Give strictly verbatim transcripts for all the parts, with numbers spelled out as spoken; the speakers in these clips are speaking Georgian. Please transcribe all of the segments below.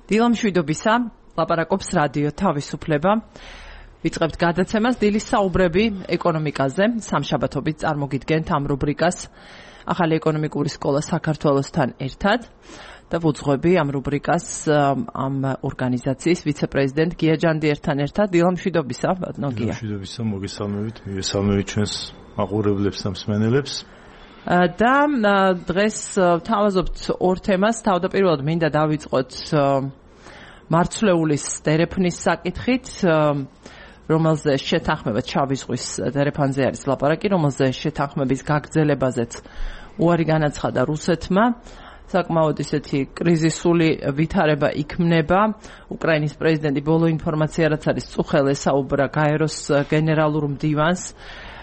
დილა მშვიდობისა, ლაპარაკობს რადიო თავისუფლება. ვიწყებთ გადაცემას დილის საუბრები ეკონომიკაზე. სამშაბათობით წარმოგიდგენთ ამ რუბრიკას ახალი ეკონომიკური სკოლა საქართველოსთან ერთად და ვუძღვები ამ რუბრიკას ამ ორგანიზაციის ვიცე-პრეზიდენტ გია ჯანდიერთან ერთად. დილა მშვიდობისა, ბატონო გია. მშვიდობისა, მოგესალმებით, მივესალმებით ჩვენს მაყურებლებს და მსმენელებს. და დღეს თავაზობთ ორ თემას. თავდაპირველად მინდა დავიწყოთ მარცვლეულის დერეფნის საკითხით, რომელზე შეთანხმება შავი ზღვის დერეფანზე არის ლაპარაკი, რომელზე შეთანხმების გაგრძელებაზეც უარი განაცხადა რუსეთმა. საკმაოდ ისეთი კრიზისული ვითარება იქმნება. უკრაინის პრეზიდენტი ბოლო ინფორმაცია რაც არის წუხელ ესაუბრა გაეროს გენერალურ მდივანს.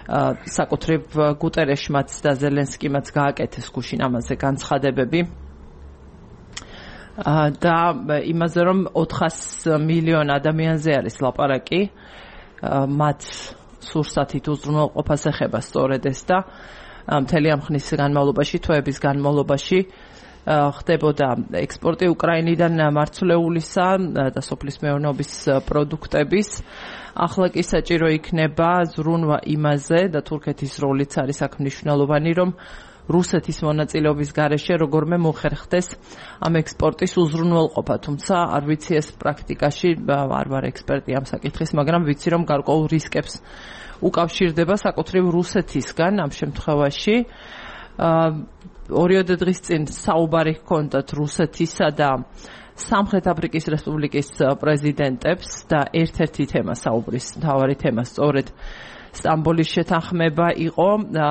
საკუთრივ გუტერეშმაც და ზელენსკიმაც გააკეთეს გუშინ ამაზე განცხადებები და იმაზე რომ ოთხას მილიონ ადამიანზე არის ლაპარაკი, მათ სურსათით უზრუნველყოფას ეხება სწორედ ეს და მთელი ამ ხნის განმავლობაში, თვეების განმავლობაში ხდებოდა ექსპორტი უკრაინიდან მარცვლეულისა და სოფლის მეურნეობის პროდუქტების. ახლა კი საჭირო იქნება ზრუნვა იმაზე და თურქეთის როლიც არის აქ მნიშვნელოვანი, რომ რუსეთის მონაწილეობის გარეშე როგორმე მოხერხდეს ამ ექსპორტის უზრუნველყოფა. თუმცა არ ვიცი ეს პრაქტიკაში, არ ვარ ექსპერტი ამ საკითხის, მაგრამ ვიცი რომ გარკვეულ რისკებს უკავშირდება საკუთრივ რუსეთისგან ამ შემთხვევაში. ორიოდე დღის წინ საუბარი ჰქონდათ რუსეთისა და სამხრეთ აფრიკის რესპუბლიკის პრეზიდენტებს და ერთ-ერთი თემა საუბრის მთავარი თემა სწორედ სტამბოლის შეთანხმება იყო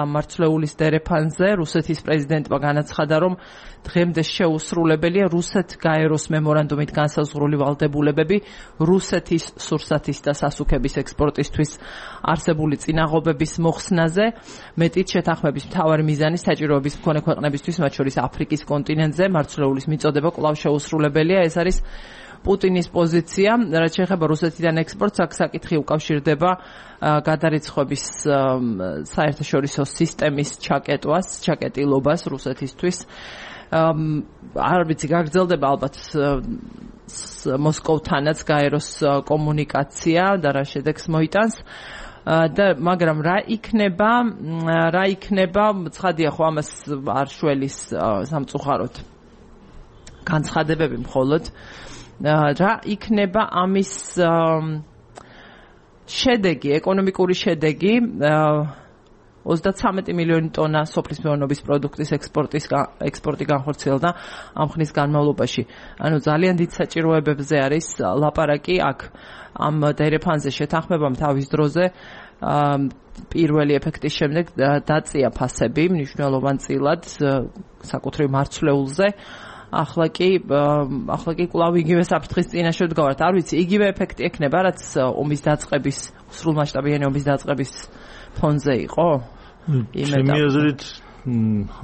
მარცვლეულის დერეფანზე. რუსეთის პრეზიდენტმა განაცხადა, რომ დღემდე შეუსრულებელია რუსეთ-გაეროს მემორანდუმით განსაზღვრული ვალდებულებები რუსეთის სურსათის და სასუქების ექსპორტისთვის არსებული წინაღობების მოხსნაზე. მეტიც შეთანხმების მთავარი მიზანი საჭიროების მქონე ქვეყნებისთვის, მათ შორის აფრიკის კონტინენტზე მარცვლეულის მიწოდება კვლავ შეუსრულებელია. ეს არის პუტინის პოზიცია, რაც შეეხება რუსეთიდან ექსპორტს, აქ საკითხი უკავშირდება გადარიცხვების საერთაშორისო სისტემის ჩაკეტვას, ჩაკეტილობას რუსეთისთვის. არ ვიცი, გაგრძელდება ალბათ მოსკოვთანაც გაეროს კომუნიკაცია და რა შედეგს მოიტანს. და მაგრამ რა იქნება, რა იქნება, ცხადია ხო ამას არ შველის სამწუხაროდ განცხადებები მხოლოდ. რა იქნება ამის შედეგი, ეკონომიკური შედეგი? ოცდათვრამეტი მილიონი ტონა სოფლის მეურნეობის პროდუქტის ექსპორტის ექსპორტი განხორციელდა ამ ხნის განმავლობაში. ანუ ძალიან დიდ საჭიროებებზე არის ლაპარაკი აქ ამ დერეფანზე შეთანხმებამ თავის დროზე პირველი ეფექტის შემდეგ დაწია ფასები მნიშვნელოვანწილად საკუთრივ მარცვლეულზე. ახლა კი ახლა კი კვლავ იგივე საფრთხის წინაშე ვდგავართ. არ ვიცი, იგივე ეფექტი ექნება, რაც ომის დაწყების, სრულმასშტაბიანი ომის დაწყების ფონზე იყო? ჩემი აზრით,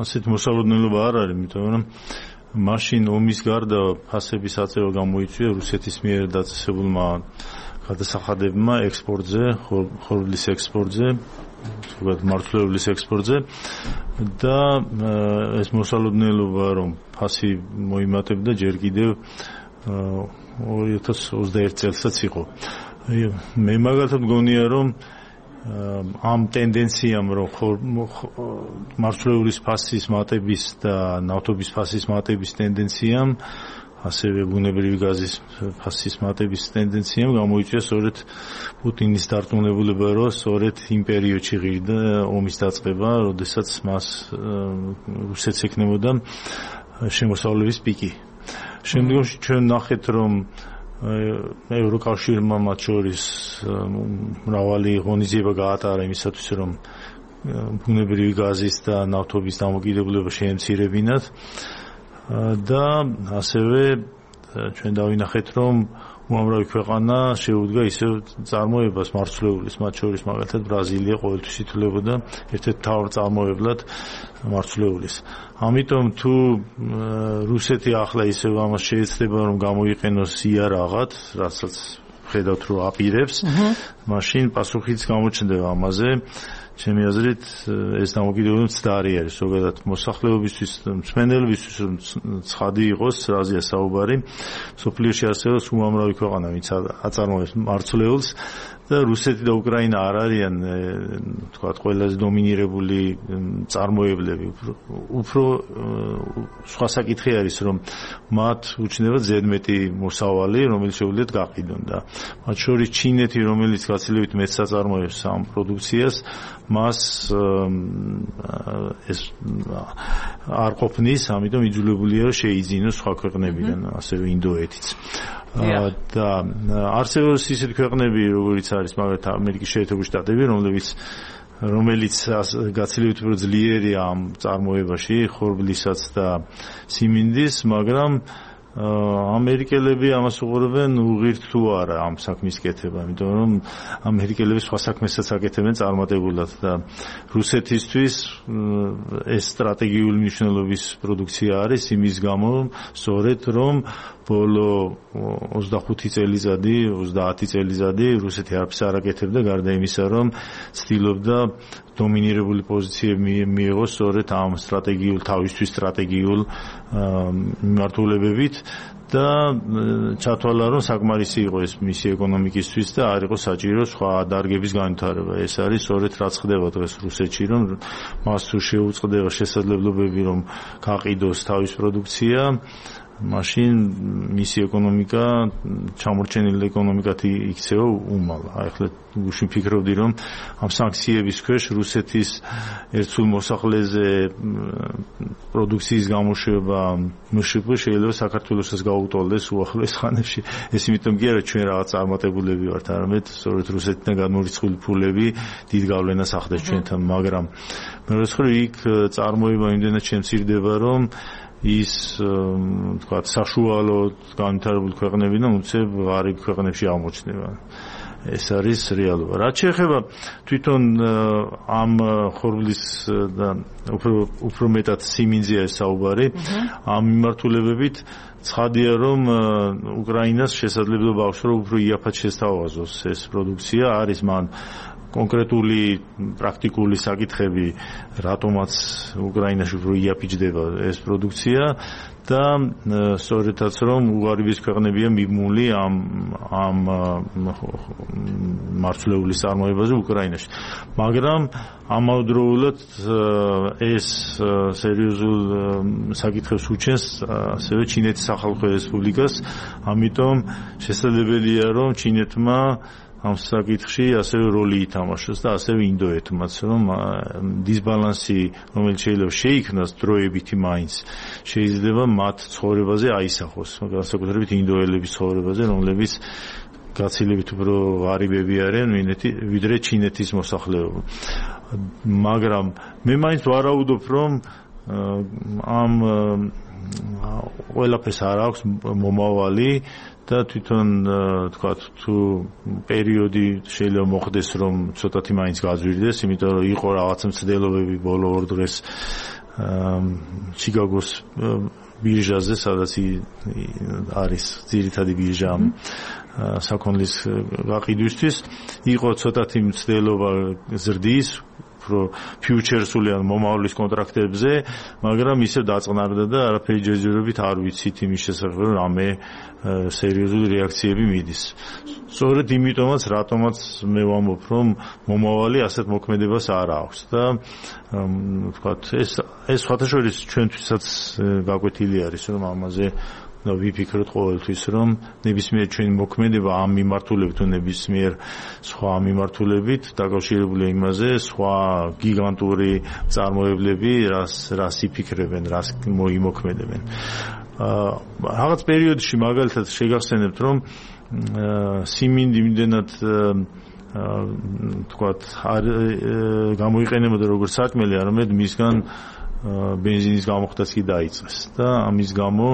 ასეთ მოსალოდნელობა არ არის, იმიტომ რომ მაშინ ომის გარდა ფასების აწევა გამოიწვია რუსეთის მიერ დაწესებულმა გადასახადებმა ექსპორტზე, ხორბლის ექსპორტზე, ზოგადად მარცვლეულის ექსპორტზე და ეს მოსალოდნელობა რომ ფასი მოიმატებდა ჯერ კიდევ ორი ათას ოცდაერთი წელსაც იყო. მე მაგალითად მგონია რომ ამ ტენდენციამ რომ მარცვლეულის ფასის მატების და ნავთობის ფასის მატების ტენდენციამ, ასევე ბუნებრივი გაზის ფასის მატების ტენდენციამ გამოიწვია სწორედ პუტინის დარწმუნებულება, რომ სწორედ იმ პერიოდში ღირდა ომის დაწყება, როდესაც მას რუსეთს ექნებოდა შემოსავლების პიკი. შემდგომში ჩვენ ნახეთ, რომ ევროკავშირმა მათ შორის მრავალი ღონისძიება გაატარა იმისათვის, რომ ბუნებრივი გაზის და ნავთობის დამოკიდებულება შეემცირებინათ. და ასევე ჩვენ დავინახეთ, რომ უამრავი ქვეყანა შეუდგა ისევ წარმოებას მარცვლეულის, მათ შორის მაგალითად ბრაზილია ყოველთვის ითვლებოდა ერთ-ერთ მთავარ წარმოებლად მარცვლეულის. ამიტომ თუ რუსეთი ახლა ისევ ამას შეეცდება, რომ გამოიყენოს იარაღად, რასაც ხედავთ, რომ აპირებს, მაშინ პასუხიც გამოჩნდება ამაზე. ჩემი აზრით ეს დამოკიდებულება მცდარი არის ზოგადად მოსახლეობისთვის, მსმენელებისთვის ცხადი იყოს, რაზეა საუბარი. სოფლიოში არსებობს უამრავი ქვეყანა, ვინც აწარმოებს მარცვლეულს და რუსეთი და უკრაინა არ არიან თქვათ ყველაზე დომინირებული წარმოებლები. უფრო სხვა საკითხი არის, რომ მათ უჩნდება ზედმეტი მოსავალი, რომელიც შეუძლიათ გაყიდონ და მათ შორის ჩინეთი, რომელიც გაცილებით მეტს აწარმოებს ამ პროდუქციას, მას ეს არ ყოფნის, ამიტომ იძულებულია შეიძინოს სხვა ქვეყნებიდან, ასევე ინდოეთიც. და არსებობს ისეთი ქვეყნები, როგორიც არის მაგალითად ამერიკის შეერთებული შტატები, რომლებიც რომელიც გაცილებით უფრო ძლიერია ამ წარმოებაში, ხორბლისაც და სიმინდის, მაგრამ ამერიკელები ამას უყურებენ უღირთ თუ არა ამ საქმის კეთება, იმიტომ რომ ამერიკელები სხვა საქმესაც აკეთებენ წარმატებულად და რუსეთისთვის ეს სტრატეგიული მნიშვნელობის პროდუქცია არის იმის გამო, სწორედ რომ ბოლო ოცდახუთი წელიწადი, ოცდაათი წელიწადი რუსეთი არაფერს არ აკეთებდა, გარდა იმისა, რომ ცდილობდა დომინირებული პოზიციები მიიღოს სწორედ ამ სტრატეგიულ თავისთვის სტრატეგიულ მიმართულებებით და ჩათვალა, რომ საკმარისი იყო ეს მისი ეკონომიკისთვის და არ იყო საჭირო სხვა დარგების განვითარება. ეს არის სწორედ რაც ხდება დღეს რუსეთში, რომ მას თუ შეუწყდება შესაძლებლობები, რომ გაყიდოს თავის პროდუქცია, მაშინ მისი ეკონომიკა, ჩამორჩენილი ეკონომიკად იქცევა უმალ. აი ახლა გუშინ ფიქრობდი, რომ ამ სანქციების ქვეშ რუსეთის ერთსულ მოსახლეზე პროდუქციის გამოშვება მშპ შეიძლება საქართველოსაც გაუტოლდეს უახლოეს ხანებში. ეს იმიტომ კი არა ჩვენ რაღაც წარმატებულები ვართ, არამედ სწორედ რუსეთიდან გადმორიცხული ფულები დიდ გავლენას ახდენს ჩვენთან, მაგრამ მეორე მხრივ იქ წარმოება იმდენად შემცირდება, რომ ის თქვათ საშუალო განვითარებული ქვეყნებიდან უცებ ღარიბ ქვეყნებში აღმოჩნდება. ეს არის რეალობა. რაც შეეხება თვითონ ამ ხორბლის და უფრო უფრო მეტად სიმინძეა საუბარი, ამ მიმართულებებით ცხადია, რომ უკრაინას შესაძლებლობა აქვს, რომ უფრო იაფად შესთავაზოს ეს პროდუქცია, არის მან კონკრეტული პრაქტიკული საკითხები, რატომაც უკრაინაში უფრო იაფიჯდება ეს პროდუქცია და სწორედაც რომ უღარიბის ქვეყნებია მიბმული ამ ამ მარცვლეულის წარმოებაზე უკრაინაში. მაგრამ ამავდროულად ეს სერიოზულ საკითხებს უჩენს ასევე ჩინეთის სახალხო რესპუბლიკას, ამიტომ შესაძლებელია, რომ ჩინეთმა ამ საკითხში ასევე როლი ითამაშოს და ასევე ინდოეთმაც, რომ დისბალანსი, რომელიც შეიძლება შეიქმნას დროებითი მაინც, შეიძლება მათ ცხოვრებაზე აისახოს, განსაკუთრებით ინდოელების ცხოვრებაზე, რომლებიც გაცილებით უფრო ღარიბები არიან ვიდრე ჩინეთის მოსახლეობა. მაგრამ მე მაინც ვარაუდობ, რომ ამ ყველაფერს არ აქვს მომავალი და თვითონ თქვათ თუ პერიოდი შეიძლება მოხდეს, რომ ცოტათი მაინც გაძვირდეს, იმიტომ რომ იყო რაღაც მცდელობები ბოლო ორ დღეს ჩიკაგოს ბირჟაზე, სადაც არის ძირითადი ბირჟა საქონლის გაყიდვისთვის, იყო ცოტათი მცდელობა ზრდის უფრო ფიუჩერსული ან მომავლის კონტრაქტებზე, მაგრამ ისევ დაწყნარდა და არაფერი ჯერჯერობით არ ვიცით იმის შესახებ, რომ რამე სერიოზული რეაქციები მიდის. სწორედ იმიტომაც, რატომაც მე ვამბობ, რომ მომავალი ასეთ მოქმედებას არ აქვს და ვთქვათ, ეს ეს სხვათაშორის ჩვენთვისაც გაკვეთილი არის, რომ ამაზე და ვიფიქროთ ყოველთვის, რომ ნებისმიერ ჩვენი მოქმედება ამ მიმართულებით თუ ნებისმიერ სხვა მიმართულებით დაკავშირებულია იმაზე, სხვა გიგანტური წარმოებლები რას რას იფიქრებენ, რას მოიმოქმედებენ. რაღაც პერიოდში მაგალითად შეგახსენებთ, რომ სიმინდი იმდენად თქვათ არ გამოიყენებოდა როგორც საჭმელი, არამედ მისგან ბენზინის გამოხდაც კი დაიწყეს და ამის გამო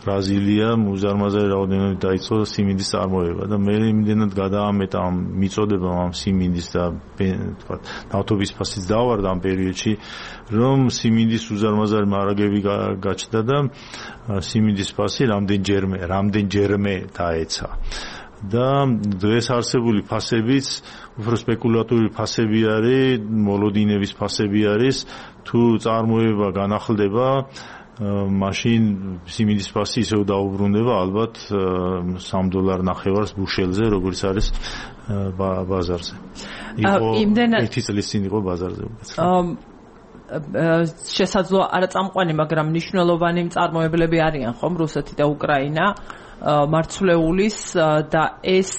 ბრაზილიამ უზარმაზარი რაოდენობით დაიწყო სიმინდის წარმოება და მე იმდენად გადაამეტა ამ მიწოდებამ ამ სიმინდის და თქვათ ნავთობის ფასიც დავარდა ამ პერიოდში, რომ სიმინდის უზარმაზარი მარაგები გაჩნდა და სიმინდის ფასი რამდენჯერმე რამდენჯერმე დაეცა. და დღეს არსებული ფასებიც უფრო სპეკულატიური ფასები არის, მოლოდინების ფასები არის, თუ წარმოება განახლდება, მაშინ სიმინდის ფასი ისევ დაუბრუნდება ალბათ სამ დოლარ ნახევარს ბუშელზე, როგორც არის ბაზარზე. იყო ერთი წლის წინ იყო ბაზარზე. შესაძლოა არაწამყვანი, მაგრამ მნიშვნელოვანი მწარმოებლები არიან ხომ რუსეთი და უკრაინა მარცვლეულის და ეს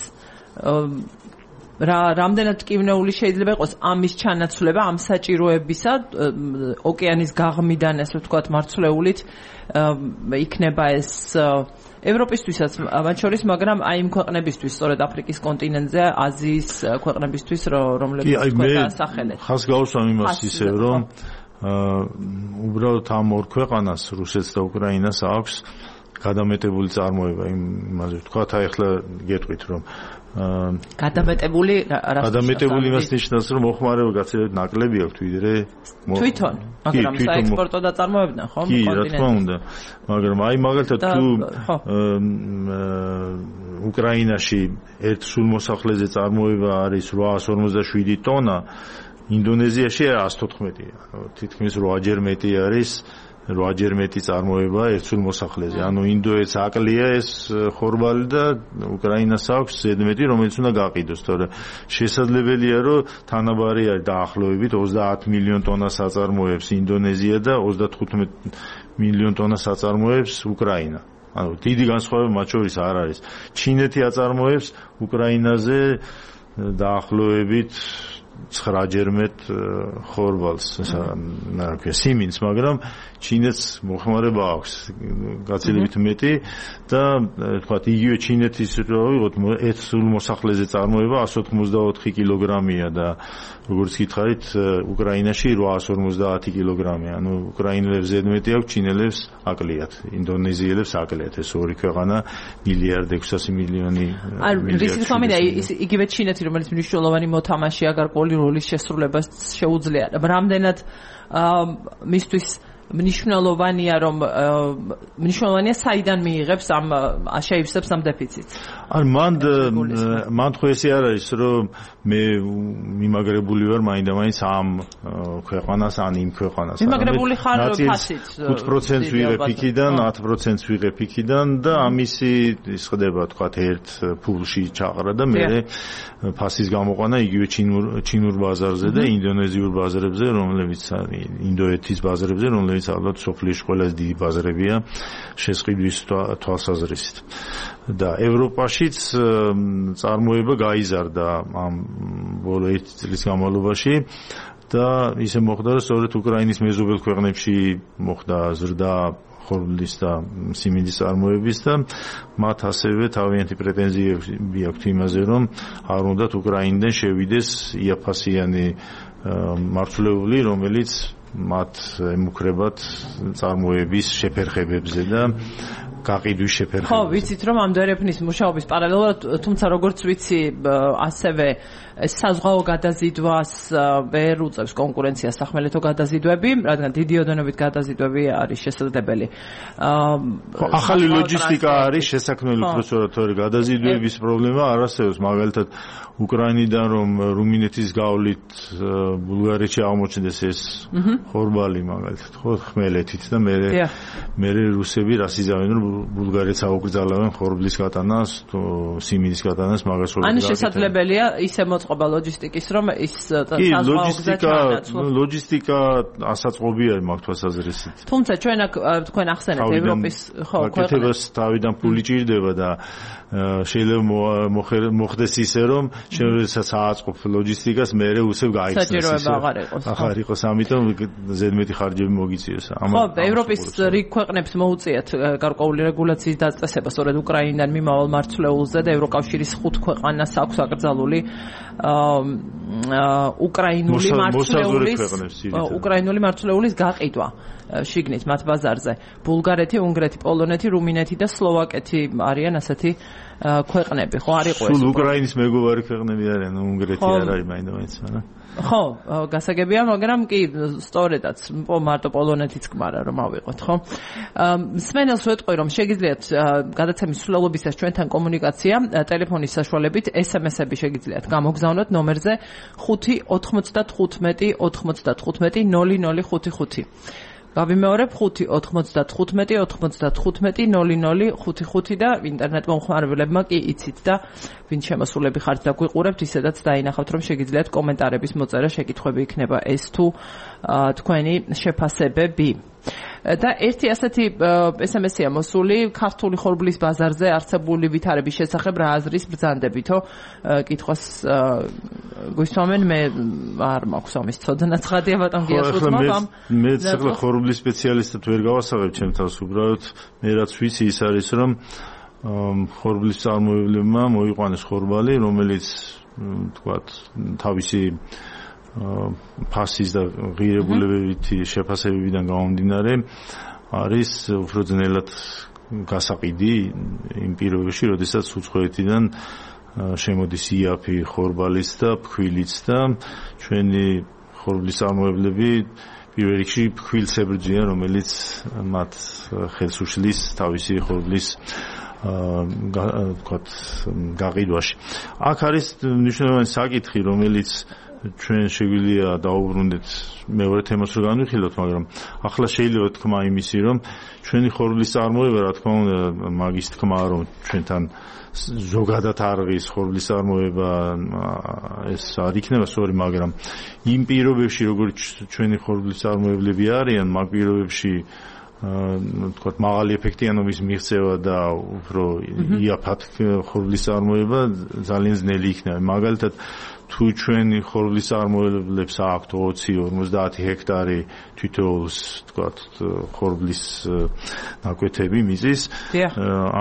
რა რამდენად ტკივნეული შეიძლება იყოს ამის ჩანაცვლება ამ საჭიროებისა ოკეანის გაღმიდან ესე ვთქვათ მარცვლეულით იქნება ეს ევროპისთვისაც მათ შორის, მაგრამ აი იმ ქვეყნებისთვის, სწორედ აფრიკის კონტინენტზე, აზიის ქვეყნებისთვის, რომლებიც თქვენ სახელეთ. ხას გავუსვამ იმას ისე, რომ უბრალოდ ამ ორ ქვეყანას, რუსეთს და უკრაინას აქვს გადამეტებული წარმოება, იმაზე ვთქვათ, აი ახლა გეტყვით, რომ გადამეტებული გადამეტებული იმას ნიშნავს, რომ მოხმარება გაცილებით ნაკლები აქვს ვიდრე თვითონ, მაგრამ საექსპორტო დაწარმოებიდან, ხო? კი, რა თქმა უნდა. მაგრამ აი მაგალითად თუ უკრაინაში ერთ სულმოსახლეზე წარმოება არის ოთხას ორმოცდაშვიდი ტონა, ინდონეზიაში εκατს თოთხმეტია. თითქმის რვაჯერ მეტი არის რვაჯერ მეტი წარმოება ერთ სულმოსახლეზე. ანუ ინდოეთს აკლია ეს ხორბალი და უკრაინას აქვს ზედმეტი, რომელიც უნდა გაყიდოს, თორე შესაძლებელია, რომ თანაბარი არის დაახლოებით ოცდაათ მილიონ ტონას აწარმოებს ინდონეზია და ოცდათხუთმეტ მილიონ ტონას აწარმოებს უკრაინა. ანუ დიდი განსხვავება მათ შორის არ არის. ჩინეთი აწარმოებს უკრაინაზე დაახლოებით ცხრაჯერ მეტ ხორბალს, რა ქვია, სიმინდს, მაგრამ ჩინეთს მოხმარება აქვს გაცილებით მეტი და თქვათ იგივე ჩინეთის რო ვიღოთ ერთ სულმოსახლეზე წარმოება εκατს ოთხმოცდაოთხი კილოგრამია და როგორც გითხარით უკრაინაში ოთხას ორმოცდაათი კილოგრამია. ანუ უკრაინელებს ზედმეტი აქვს, ჩინელებს აკლიათ, ინდონეზიელებს აკლიათ. ეს ორი ქვეყანა მილიარდ ექვსასი მილიონი. ანუ რისი თქმა მინდა იგივე ჩინეთი, რომელიც მნიშვნელოვანი მოთამაშეა გარკვეული როლის შესრულებას შეუძლია. რამდენად მისთვის მნიშვნელოვანია, რომ მნიშვნელოვანია საიდან მიიღებს ამ შეივსებს ამ დეფიციტს. ან მან მან ხო ესე არ არის, რომ მე მიმაგრებული ვარ მაინდა-მაინც ამ ქვეყანას, ან იმ ქვეყანას. მიმაგრებული ხარ ფასით. ხუთ პროცენტს ვიღებ იქიდან, ათ პროცენტს ვიღებ იქიდან და ამისი ის ხდება, თქვათ, ერთ ფულში ჩაყრა და მე ფასის გამოყვანა იგივე ჩინურ ჩინურ ბაზარზე და ინდონეზიურ ბაზარებზე, რომლებიც არის ინდოეთის ბაზარებზე, რომლებიც ალბათ სოფლიაში ყველაზე დიდი ბაზრებია შესყიდვის თვალსაზრისით. და ევროპაშიც წარმოება გაიზარდა ამ ბოლო ერთი წლის განმავლობაში და ისე მოხდა, რომ სწორედ უკრაინის მეზობელ ქვეყნებში მოხდა ზრდა ხორბლის და სიმინდის წარმოების და მათ ასევე თავიანთი პრეტენზიები აქვთ იმაზე, რომ არ უნდათ უკრაინიდან შევიდეს იაფასიანი მარცვლეული, რომელიც მათ ემუქრებათ წარმოების შეფერხებებზე და გაყიდვის შეფერხებებზე. ხო, ვიცით, რომ ამ დერეფნის მუშაობის პარალელურად, თუმცა როგორც ვიცი, ასევე საზღვაო გადაზიდვას ვერ უწევს კონკურენციას სახმელეთო გადაზიდვები, რადგან დიდი ოდენობით გადაზიდვები არის შესაძლებელი. ხო, ახალი ლოჯისტიკა არის შესაქმნელი, უბრალოდ თორე გადაზიდვების პრობლემა არ არსებობს, მაგალითად უკრაინიდან რომ რუმინეთის გავლით ბულგარეთში აღმოჩნდეს ეს ხორბალი მაგალითად, ხო, ხმელეთით და მე მე რუსები რას იზავენ, რომ ბულგარეთს აუკრძალავენ ხორბლის გატანას, თუ სიმინდის გატანას მაგას ხორბლს. ანუ შესაძლებელია ისე მოწყობა ლოჯისტიკის, რომ ის საზღვაო გზა ჩაანაცვლოს. ლოჯისტიკა ასაწყობი არის მაგ თვალსაზრისით. თუმცა ჩვენ აქ თქვენ ახსენეთ ევროპის ხო ქვეყნებს თავიდან ფული ჭირდება და შეიძლება მოხდეს ისე, რომ შემიძლია სააწყობ ლოჯისტიკას მეერე усებ გაიხსნას. საჭიროება აღარ იყოს. აღარ იყოს, ამიტომ ზედმეტი ხარჯები მოგიწიოს. ხო, ევროპის რიგ ქვეყნებს მოუწიათ გარკვეული რეგულაციის დაწესება სწორედ უკრაინიდან მიმავალ მარცვლეულზე და ევროკავშირის ხუთ ქვეყანას აქვს აკრძალული უკრაინული მარცვლეულის უკრაინული მარცვლეულის გაყიდვა შიგნით მათ ბაზარზე. ბულგარეთი, უნგრეთი, პოლონეთი, რუმინეთი და სლოვაკეთი არიან ასეთი ქვეყნები, ხო არ იყო ეს. სულ უკრაინის მეგობარი ქვეყნები არიან, უნგრეთი არ არის მაინც, მაგრამ ხო, გასაგებია, მაგრამ კი სწორედაც მარტო პოლონეთიც გმარა რომ ავიღოთ, ხო? მსმენელს ვეტყვი რომ შეგიძლიათ გადაცემის სრულობისას ჩვენთან კომუნიკაცია ტელეფონის საშუალებით ეს ემ ესები შეგიძლიათ გამოგზავნოთ ნომერზე ხუთი ოთხმოცდათხუთმეტი ოთხმოცდათხუთმეტი ნული ნული ხუთი ხუთი. გავიმეორებ ხუთი ოთხმოცდათხუთმეტი ოთხმოცდათხუთმეტი ნული ნული ხუთი ხუთი და ინტერნეტ მომხმარებლებმა კი იცით და ვინ შემოსულები ხართ და გვიყურებთ ისედაც დაინახავთ რომ შეგიძლიათ კომენტარების მოწერა შეკითხვები იქნება ეს თუ თქვენი შეფასებები. და ერთი ასეთი ეს ემ ესია მოსული ქართული ხორბლის ბაზარზე არსებული ვითარების შესახებ რა აზრის ბრძანდებითო კითხვას გვისვამენ მე არ მაქვს ამის ცოდნა ცხადია ბატონ გიასუცმა ამ მე ცოტა ხორბლის სპეციალისტად ვერ გავასაღებ ჩემ თავს უბრალოდ მე რაც ვიცი ის არის რომ ხორბლის წარმოებლებმა მოიყვანეს ხორბალი რომელიც თქვათ თავისი ფასის და ღირებულებითი შეფასებებიდან გამომდინარე არის უფრო ძნელად გასაყიდი იმ პირობებში, როდესაც უცხოეთიდან შემოდის იაფი ხორბალის და ფქვილიც და ჩვენი ხორბლის წარმოებლები პირველ რიგში ფქვილს ებრძვიან, რომელიც მათ ხელს უშლის თავისი ხორბლის ვთქვათ გაყიდვაში. აქ არის მნიშვნელოვანი საკითხი, რომელიც ჩვენ შეგვიძლია დაუბრუნდეთ მეორე თემას რო განვიხილოთ, მაგრამ ახლა შეიძლება თქვა იმისი, რომ ჩვენი ხორბლის წარმოება, რა თქმა უნდა, მაგის თქმა, რომ ჩვენთან ზოგადად არღის ხორბლის წარმოება ეს არ იქნება სწორი, მაგრამ იმ პირობებში, როგორც ჩვენი ხორბლის წარმოებლები არიან, მაგ პირობებში თქვათ მაღალი ეფექტიანობის მიღწევა და უფრო იაფად ხორბლის წარმოება ძალიან ძნელი იქნება. მაგალითად თუ ჩვენი ხორბლის წარმოებლებს აქვთ ოცი ორმოცდაათი ჰექტარი თითოეულს თქვათ ხორბლის ნაკვეთები მიწის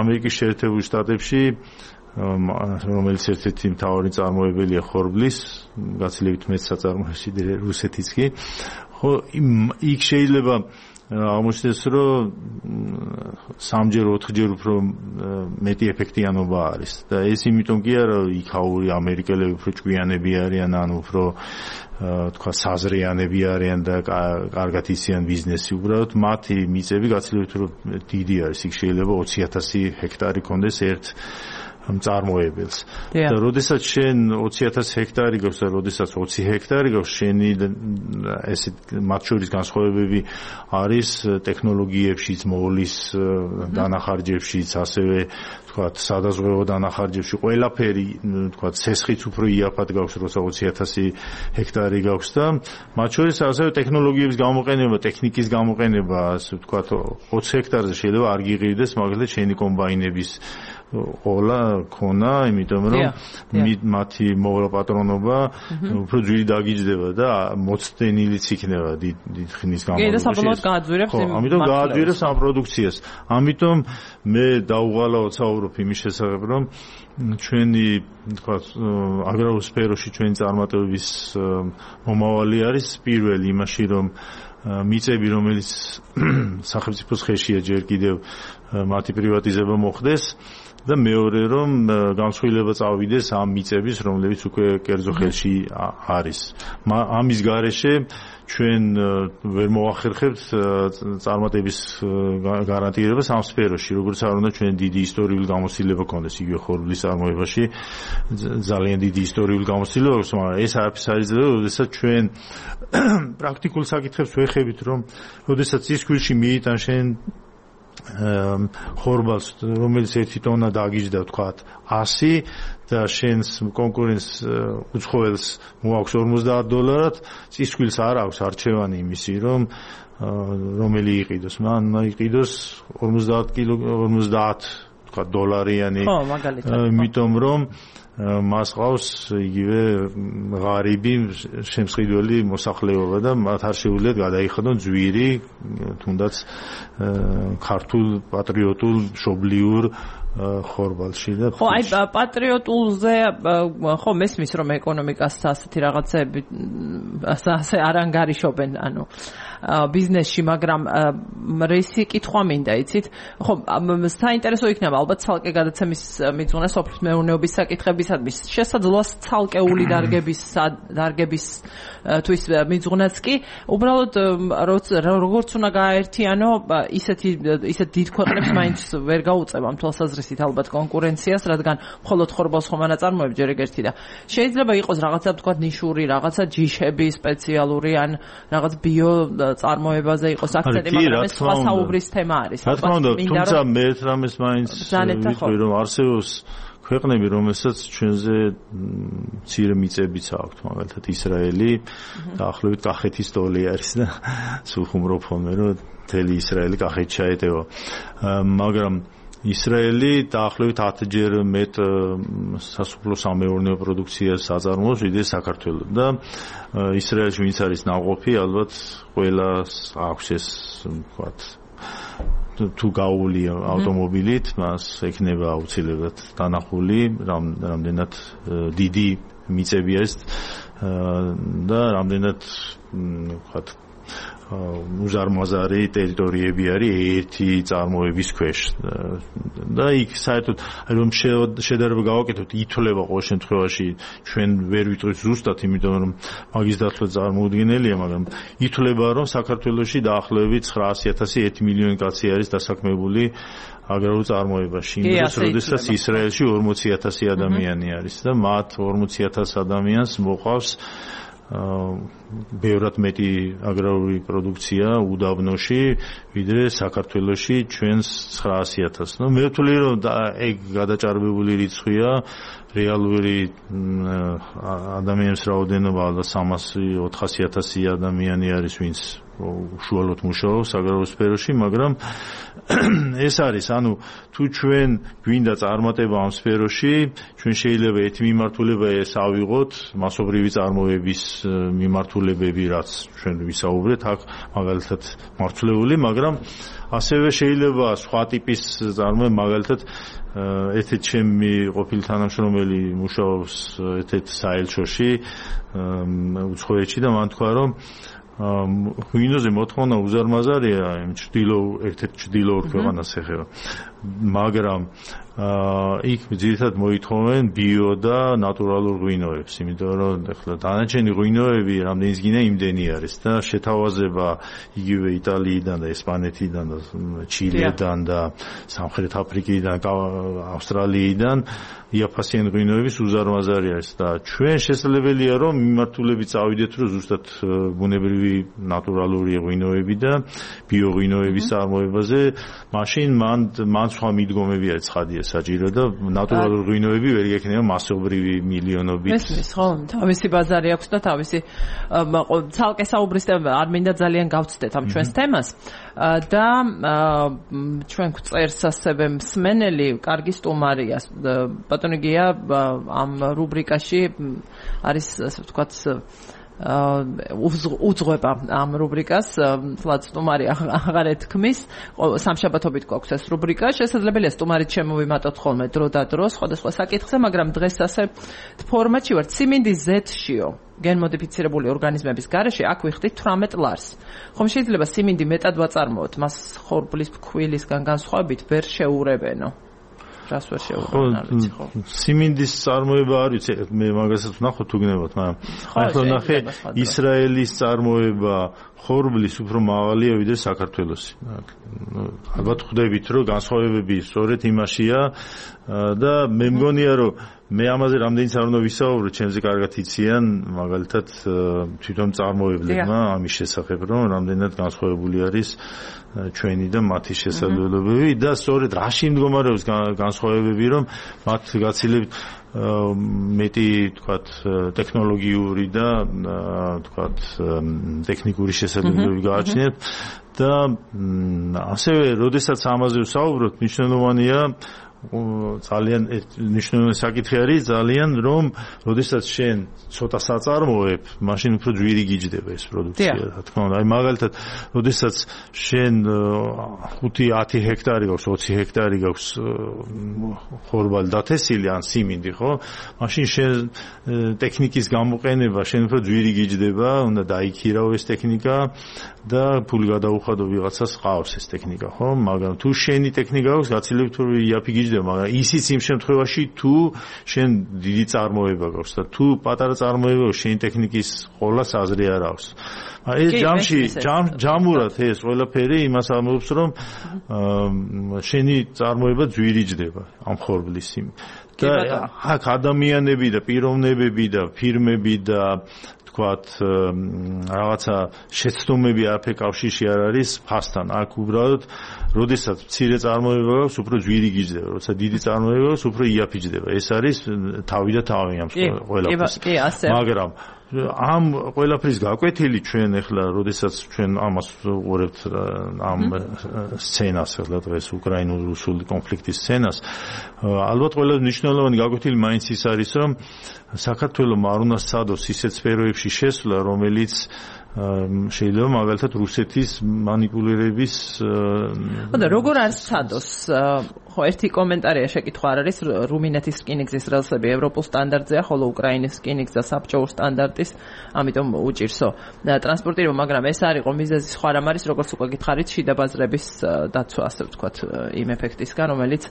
ამერიკის შეერთებულ შტატებში რომელიც ერთ-ერთი მთავარი წარმოებელია ხორბლის გაცილებით მეტ საწარმოებში რუსეთიც კი ხო იქ შეიძლება აღმოჩნდეს რომ სამჯერ ოთხჯერ უფრო მეტი ეფექტიანობა არის და ეს იმიტომ კი არა იქაური ამერიკელები უფრო ჭკვიანები არიან ან უფრო თქვა საზრიანები არიან და კარგად იციან ბიზნესი უბრალოდ მათი მიწები გაცილებით უფრო დიდი არის იქ შეიძლება ოცი ათასი ჰექტარი კონდეს ერთ მწარმოებელს და როდესაც შენ ოცი ათასი ჰექტარი გაქვს და როდესაც ოცი ჰექტარი გაქვს შენი ესე მათ შორის განსხვავებები არის ტექნოლოგიებშიც მოვლის დანახარჯებშიც ასევე თქვათ სადაზღვევო დანახარჯებში ყველაფერი თქვათ ცესხიც უფრო იაფად გაქვს როცა ოცი ათასი ჰექტარი გაქვს და მათ შორის ასევე ტექნოლოგიების გამოყენება ტექნიკის გამოყენება ასე ვთქვათ ოცი ჰექტარზე შეიძლება არ გიყიდეს მაგალითად შენი კომბაინების ყოლა ქონა, იმიტომ რომ მათი მოვლაპატრონობა უფრო ძვირი დაგიჯდება და მოცდენილიც იქნება დიდ ხნის განმავლობაში. კი, და საბოლოოდ გააძვირებს იმ ამიტომ გააძვირებს ამ პროდუქციას. ამიტომ მე დაუღალავთ საუბრობ იმის შესახებ, რომ ჩვენი თქვათ აგრარულ სფეროში ჩვენი წარმატებების მომავალი არის პირველი იმაში, რომ მიწები, რომელიც სახელმწიფოს ხელშია ჯერ კიდევ მათი პრივატიზება მოხდეს და მეორე რომ განსხვავება წავიდეს ამ მიწების, რომლებიც უკვე კერძო ხელში არის. ამის გარეშე ჩვენ ვერ მოახერხებთ წარმატების გარანტირებას ამ სფეროში, როგორც არ უნდა ჩვენ დიდი ისტორიული გამოცდილება გქონდეს იგივე ხორბლის წარმოებაში, ძალიან დიდი ისტორიული გამოცდილება აქვს, მაგრამ ეს არაფერს არ იძლევა, როდესაც ჩვენ პრაქტიკულ საკითხებს ვეხებით, რომ როდესაც ცისქვილში მიიტან შენ ხორბალს, რომელიც ერთი ტონა დაგიჯდა, ვთქვათ, ასი და შენს კონკურენტს უცხოელს მოაქვს ორმოცდაათ დოლარად, ცისქვილს არ აქვს არჩევანი იმისი, რომ რომელი იყიდოს, მან იყიდოს ორმოცდაათ კილო ორმოცდაათ ვთქვათ დოლარიანი, იმიტომ რომ მას ყავს იგივე ღარიბი შემსყიდველი მოსახლეობა და მათ არ შეუძლიათ გადაიხადონ ძვირი თუნდაც ქართულ პატრიოტულ მშობლიურ ხორბალში და ხო აი პატრიოტულზე ხო მესმის რომ ეკონომიკას ასეთი რაღაცები ასე არ ანგარიშობენ ანუ ბიზნესში მაგრამ რისი კითხვა მინდა იცით ხო საინტერესო იქნება ალბათ ცალკე გადაცემის მიძღვნა სოფლის მეურნეობის საკითხებისადმი შესაძლოა ცალკეული დარგების დარგების თვის მიძღვნაც კი უბრალოდ როგორც უნდა გააერთიანო ისეთი ისეთ დიდ ქვეყნებს მაინც ვერ გაუწევამ თვალსაზრისით ალბათ კონკურენციას რადგან მხოლოდ ხორბალს ხომ ანაწარმოებს ჯერ ეგ ერთი და შეიძლება იყოს რაღაცა თქვა ნიშური რაღაცა ჯიშები სპეციალური ან რაღაც ბიო წარმოებაზე იყოს აქცენტი მაგრამ ეს სხვა საუბრის თემა არის რა თქმა უნდა თუმცა მე ერთ რამეს მაინც ვიტყვი რომ არსებობს ქვეყნები რომელსაც ჩვენზე მცირე მიწებიც აქვთ მაგალითად ისრაელი დაახლოებით კახეთის ტოლი არის და სულ ხუმრობ ხოლმე რომ მთელი ისრაელი კახეთს ჩაეტევა მაგრამ ისრაელი დაახლოებით ათჯერ მეტ სასოფლო-სამეურნეო პროდუქციას აწარმოებს ვიდრე საქართველო და ისრაელში ვინც არის ნაყოფი ალბათ ყველას აქვს ეს ვთქვათ თუ გაული ავტომობილით მას ექნება აუცილებლად დანახული რამდენად დიდი მიწები არის და რამდენად ვთქვათ უზარმაზარი ტერიტორიები არის ერთი წარმოების ქვეშ და იქ საერთოდ რომ შედარება გავაკეთოთ ითვლება ყოველ შემთხვევაში ჩვენ ვერ ვიტყვით ზუსტად იმიტომ რომ მაგის დათვლა წარმოუდგენელია მაგრამ ითვლება რომ საქართველოში დაახლოებით ცხრაასი ათასი ერთი მილიონი კაცი არის დასაქმებული აგრარულ წარმოებაში იმ დროს როდესაც ისრაელში ორმოცი ათასი ადამიანი არის და მათ ორმოცი ათას ადამიანს მოყავს ბევრად მეტი აგრარული პროდუქცია უდაბნოში ვიდრე საქართველოში ჩვენს ცხრაასი ათასს. ნუ მე ვთვლი რომ ეგ გადაჭარბებული რიცხვია რეალური ადამიანის რაოდენობა ალბათ სამასი ოთხასი ათასი ადამიანი არის ვინც უშუალოდ მუშაობს აგრარულ სფეროში მაგრამ ეს არის ანუ თუ ჩვენ გვინდა წარმატება ამ სფეროში ჩვენ შეიძლება ერთი მიმართულება ეს ავიღოთ მასობრივი წარმოების მიმართულებები რაც ჩვენ ვისაუბრეთ აქ მაგალითად მართლეული მაგრამ ასევე შეიძლება სხვა ტიპის წარმოება მაგალითად ერთ-ერთი ჩემი ყოფილი თანამშრომელი მუშაობს ერთ-ერთ საელჩოში უცხოეთში და მან თქვა რომ ღვინოზე მოთხოვნა უზარმაზარია იმ ჭდილო ერთ-ერთ ჭდილოურ ქვეყანას ეხება მაგრამ იქ ძირითადად მოითხოვენ ბიო და ნატურალურ ღვინოებს იმიტომ რომ ახლა დანარჩენი ღვინოები რამდენიც გინდა იმდენი არის და შეთავაზება იგივე იტალიიდან და ესპანეთიდან და ჩილედან და სამხრეთ აფრიკიდან ავსტრალიიდან იაფასიანი ღვინოების უზარმაზარი არის და ჩვენ შესაძლებელია რომ მიმართულებით წავიდეთ რომ ზუსტად ბუნებრივი ნატურალური ღვინოები და ბიო ღვინოების წარმოებაზე მაშინ მან მან სხვა მიდგომები არის ცხადია საჭირო და ნატურალური ღვინოები ვერ იქნება მასობრივი მილიონობით. ესმის ხო, თავისი ბაზარი აქვს და თავისი ცალკე საუბრის არ მინდა ძალიან გავცდეთ ამ ჩვენს თემას და ჩვენ გვწერს ასევე მსმენელი კარგი სტუმარია ბატონი გია ამ რუბრიკაში არის ასე ვთქვათ უძღვება ამ რუბრიკას თლაც სტუმარი აღარ ეთქმის სამშაბათობით გვაქვს ეს რუბრიკა შესაძლებელია სტუმარით შემოვიმატოთ ხოლმე დრო და დრო სხვადასხვა საკითხზე მაგრამ დღეს ასე ფორმატში ვართ სიმინდის ზეთშიო გენმოდიფიცირებული ორგანიზმების გარეშე აქ ვიხდით თვრამეტ ლარს ხომ შეიძლება სიმინდი მეტად ვაწარმოოთ მას ხორბლის ფქვილისგან განსხვავებით ვერ შეურებენო რას ვერ შეუღებენ არ ვიცი ხო სიმინდის წარმოება არის მე მაგასაც ვნახოთ თუ გნებოთ მაგრამ ახლა ნახე ისრაელის წარმოება ხორბლის უფრო მაღალია ვიდრე საქართველოსი ალბათ ხვდებით რომ განსხვავებები სწორედ იმაშია და მე მგონია რომ მე ამაზე რამდენიც არ უნდა ვისაუბრო ჩემზე კარგად იციან მაგალითად თვითონ წარმოებლებმა ამის შესახებ რომ რამდენად განსხვავებული არის ჩვენი და მათი შესაძლებლობები და სწორედ რაში მდგომარეობს განსხვავებები რომ მათ გაცილებით მეტი თქვათ ტექნოლოგიური და თქვათ ტექნიკური შესაძლებლობები გააჩნიათ და ასევე როდესაც ამაზე ვსაუბრობთ მნიშვნელოვანია ძალიან მნიშვნელოვანი საკითხი არის ძალიან რომ როდესაც შენ ცოტა საწარმოებ, მაშინ უფრო ძვირი გიჯდება ეს პროდუქცია, რა თქმა უნდა. აი მაგალითად, როდესაც შენ ხუთი ათი ჰექტარი გაქვს, ოცი ჰექტარი გაქვს ხორბალი დათესილი ან სიმინდი, ხო? მაშინ შენ ტექნიკის გამოყენება შენ უფრო ძვირი გიჯდება, უნდა დაიქირავ ეს ტექნიკა და ფული გადაუხადო ვიღაცას ყავს ეს ტექნიკა, ხო? მაგრამ თუ შენი ტექნიკა აქვს, გაცილებით უფრო იაფი გიჯდება, მაგრამ ისიც იმ შემთხვევაში თუ შენ დიდი წარმოება გაქვს და თუ პატარა წარმოება გაქვს, შენი ტექნიკის ყოლას აზრი არ აქვს. ეს ჯამში ჯამურად ეს ყველაფერი იმას ამბობს, რომ შენი წარმოება ძვირი ჯდება ამ ხორბლის იმ და აქ ადამიანები და პიროვნებები და ფირმები და თქვათ რაღაცა შეცდომები არაფერ კავშირში არ არის ფასთან. აქ უბრალოდ როდესაც მცირე წარმოება გაქვს, უფრო ძვირი გიჯდება, როცა დიდი წარმოება გაქვს, უფრო იაფი ჯდება. ეს არის თავი და თავი ამ ყველაფერს. მაგრამ ამ ყველაფრის გაკვეთილი ჩვენ ახლა როდესაც ჩვენ ამას ვუყურებთ ამ სცენას ახლა დღეს უკრაინულ-რუსული კონფლიქტის სცენას, ალბათ ყველა მნიშვნელოვანი გაკვეთილი მაინც ის არის, რომ საქართველოს არ უნდა სცადოს ისეთ სფეროებში შესვლა, რომელიც შეიძლება მაგალითად რუსეთის მანიპულირების და როგორ არ სცადოს ხო ერთი კომენტარია შეკითხვა არ არის რუმინეთის რკინიგზის რელსები ევროპულ სტანდარტზეა ხოლო უკრაინის რკინიგზა საბჭოურ სტანდარტის ამიტომ უჭირსო ტრანსპორტირება მაგრამ ეს არ იყო მიზეზი სხვა რამ არის როგორც უკვე გითხარით შიდა ბაზრების დაცვა ასე ვთქვათ იმ ეფექტისგან რომელიც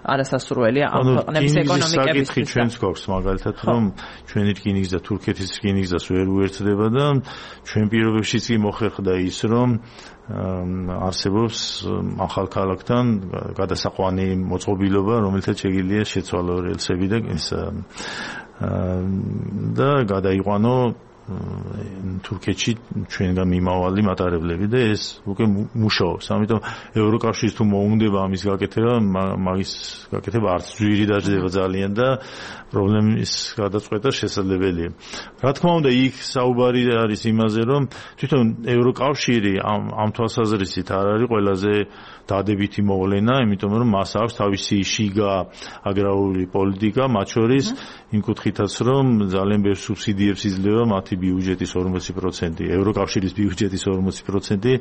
არასასურველია ამ ქვეყნების ეკონომიკებისთვის ჩვენც გვაქვს მაგალითად რომ ჩვენი რკინიგზა თურქეთის რკინიგზას ვერ უერთდება და ჩვენ პირობებშიც კი მოხერხდა ის რომ არსებობს ახალ ქალაქთან გადასაყვანი მოწყობილობა, რომელთაც შეგიძლია შეცვალო რელსები და ეს და გადაიყვანო თურქეთში ჩვენგან მიმავალი მატარებლები და ეს უკვე მუშაობს. ამიტომ ევროკავშირის თუ მოუნდება ამის გაკეთება, მაგის გაკეთება არც ძვირი დაждდება ძალიან და პრობლემის გადაწყვეტა შესაძლებელია. რა თქმა უნდა, იქ საუბარი არის იმაზე, რომ თვითონ ევროკავშირი ამ ამ თვალსაზრისით არ არის ყველაზე დადებითი მოვლენა, იმიტომ რომ მას აქვს თავისი შიგა აგრარული პოლიტიკა, მათ შორის იმ კუთხითაც, რომ ძალიან ბევრ სუბსიდიებს იძლევა მათი ბიუჯეტის ორმოცი პროცენტი, ევროკავშირის ბიუჯეტის ორმოცი პროცენტი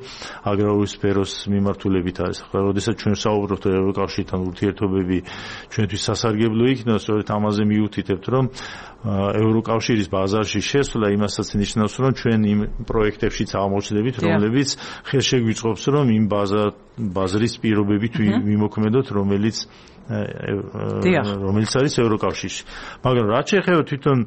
აგრარული სფეროს მიმართულებით არის. ახლა, როდესაც ჩვენ საუბრობთ ევროკავშირთან ურთიერთობები ჩვენთვის სასარგებლო იქნება, სწორედ ამაზე მიუთითებთ, რომ ევროკავშირის ბაზარში შესვლა იმასაც ნიშნავს, რომ ჩვენ იმ პროექტებშიც აღმოჩნდებით, რომლებიც ხელშეგვიწყობს, რომ იმ ბაზრის პირობებით ვიმოქმედოთ, რომელიც რომელიც არის ევროკავშირში. მაგრამ რაც შეეხება თვითონ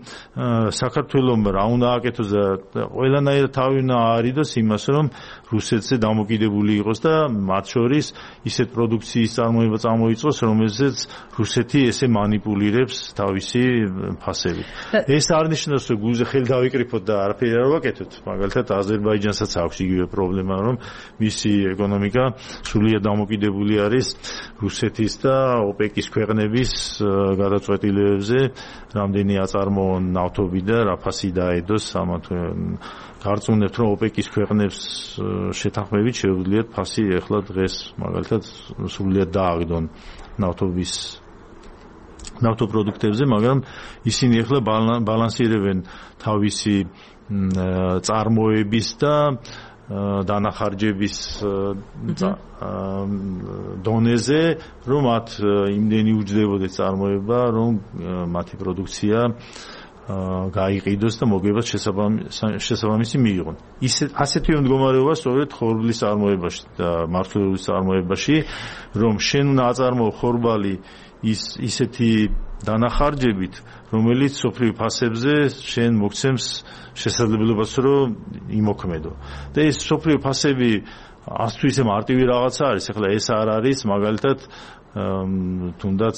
საქართველოს რა უნდა აკეთოს და ყველანაირად თავი უნდა აარიდოს იმას, რომ რუსეთზე დამოკიდებული იყოს და მათ შორის ისეთ პროდუქციის წარმოება წამოიწყოს, რომელზეც რუსეთი ესე მანიპულირებს თავისი ფასებით. ეს არ ნიშნავს, რომ გულზე ხელი დავიკრიფოთ და არაფერი არ ვაკეთოთ. მაგალითად, აზერბაიჯანსაც აქვს იგივე პრობლემა, რომ მისი ეკონომიკა სრულიად დამოკიდებული არის რუსეთის და ოპეკის ქვეყნების გადაწყვეტილებებზე, რამდენი აწარმოონ ნავთობი და რა ფასი დაედოს ამათ გარწმუნებთ, რომ ოპეკის ქვეყნებს შეთანხმებით შეუძლიათ ფასი ახლა დღეს მაგალითად სრულიად დააგდონ ნავთობის ნავთობპროდუქტებზე, მაგრამ ისინი ახლა ბალანსირებენ თავისი წარმოების და დანახარჯების დონეზე, რომ მათ იმდენი უჯდებოდეს წარმოება, რომ მათი პროდუქცია გაიყიდოს და მოგებას შესაბამისი მიიღონ. ისე ასეთი მდგომარეობა სწორედ ხორბლის წარმოებაში და მართლობის წარმოებაში, რომ შენ უნდა აწარმოო ხორბალი ის ისეთი დანახარჯებით, რომელიც სოფლიო ფასებზე შენ მოგცემს შესაძლებლობას, რომ იმოქმედო. და ეს სოფლიო ფასები არც თუ ისე მარტივი რაღაცა არის, ახლა ეს არ არის მაგალითად თუნდაც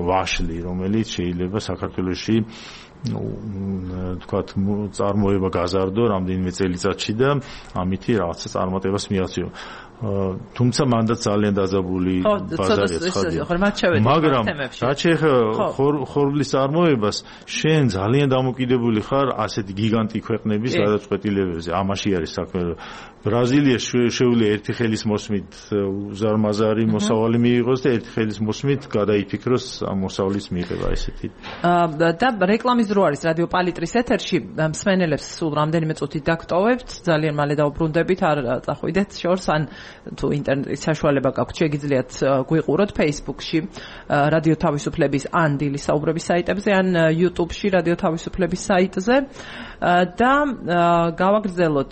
ვაშლი, რომელიც შეიძლება საქართველოში თქვათ წარმოება გაზარდო რამდენიმე წელიწადში და ამითი რაღაცა წარმატებას მიაღწიო. თუმცა მანდაც ძალიან დაძაბული ბაზარია ცხადია. მაგრამ რაც შეეხება ხორბლის წარმოებას, შენ ძალიან დამოკიდებული ხარ ასეთი გიგანტი ქვეყნების გადაწყვეტილებებზე. ამაში არის საქმე. ბრაზილია შეუძლია ერთი ხელის მოსმით უზარმაზარი მოსავალი მიიღოს და ერთი ხელის მოსმით გადაიფიქროს ამ მოსავლის მიღება ესეთი. და რეკლამის დრო არის რადიო პალიტრის ეთერში. მსმენელებს სულ რამდენიმე წუთი დაგტოვებთ. ძალიან მალე დაუბრუნდებით, არ წახვიდეთ შორს ან თუ ინტერნეტის საშუალება გაქვთ, შეგიძლიათ გვიყუროთ Facebook-ში რადიო თავისუფლების ან დილის საუბრების საიტებზე ან YouTube-ში რადიო თავისუფლების საიტზე და გავაგრძელოთ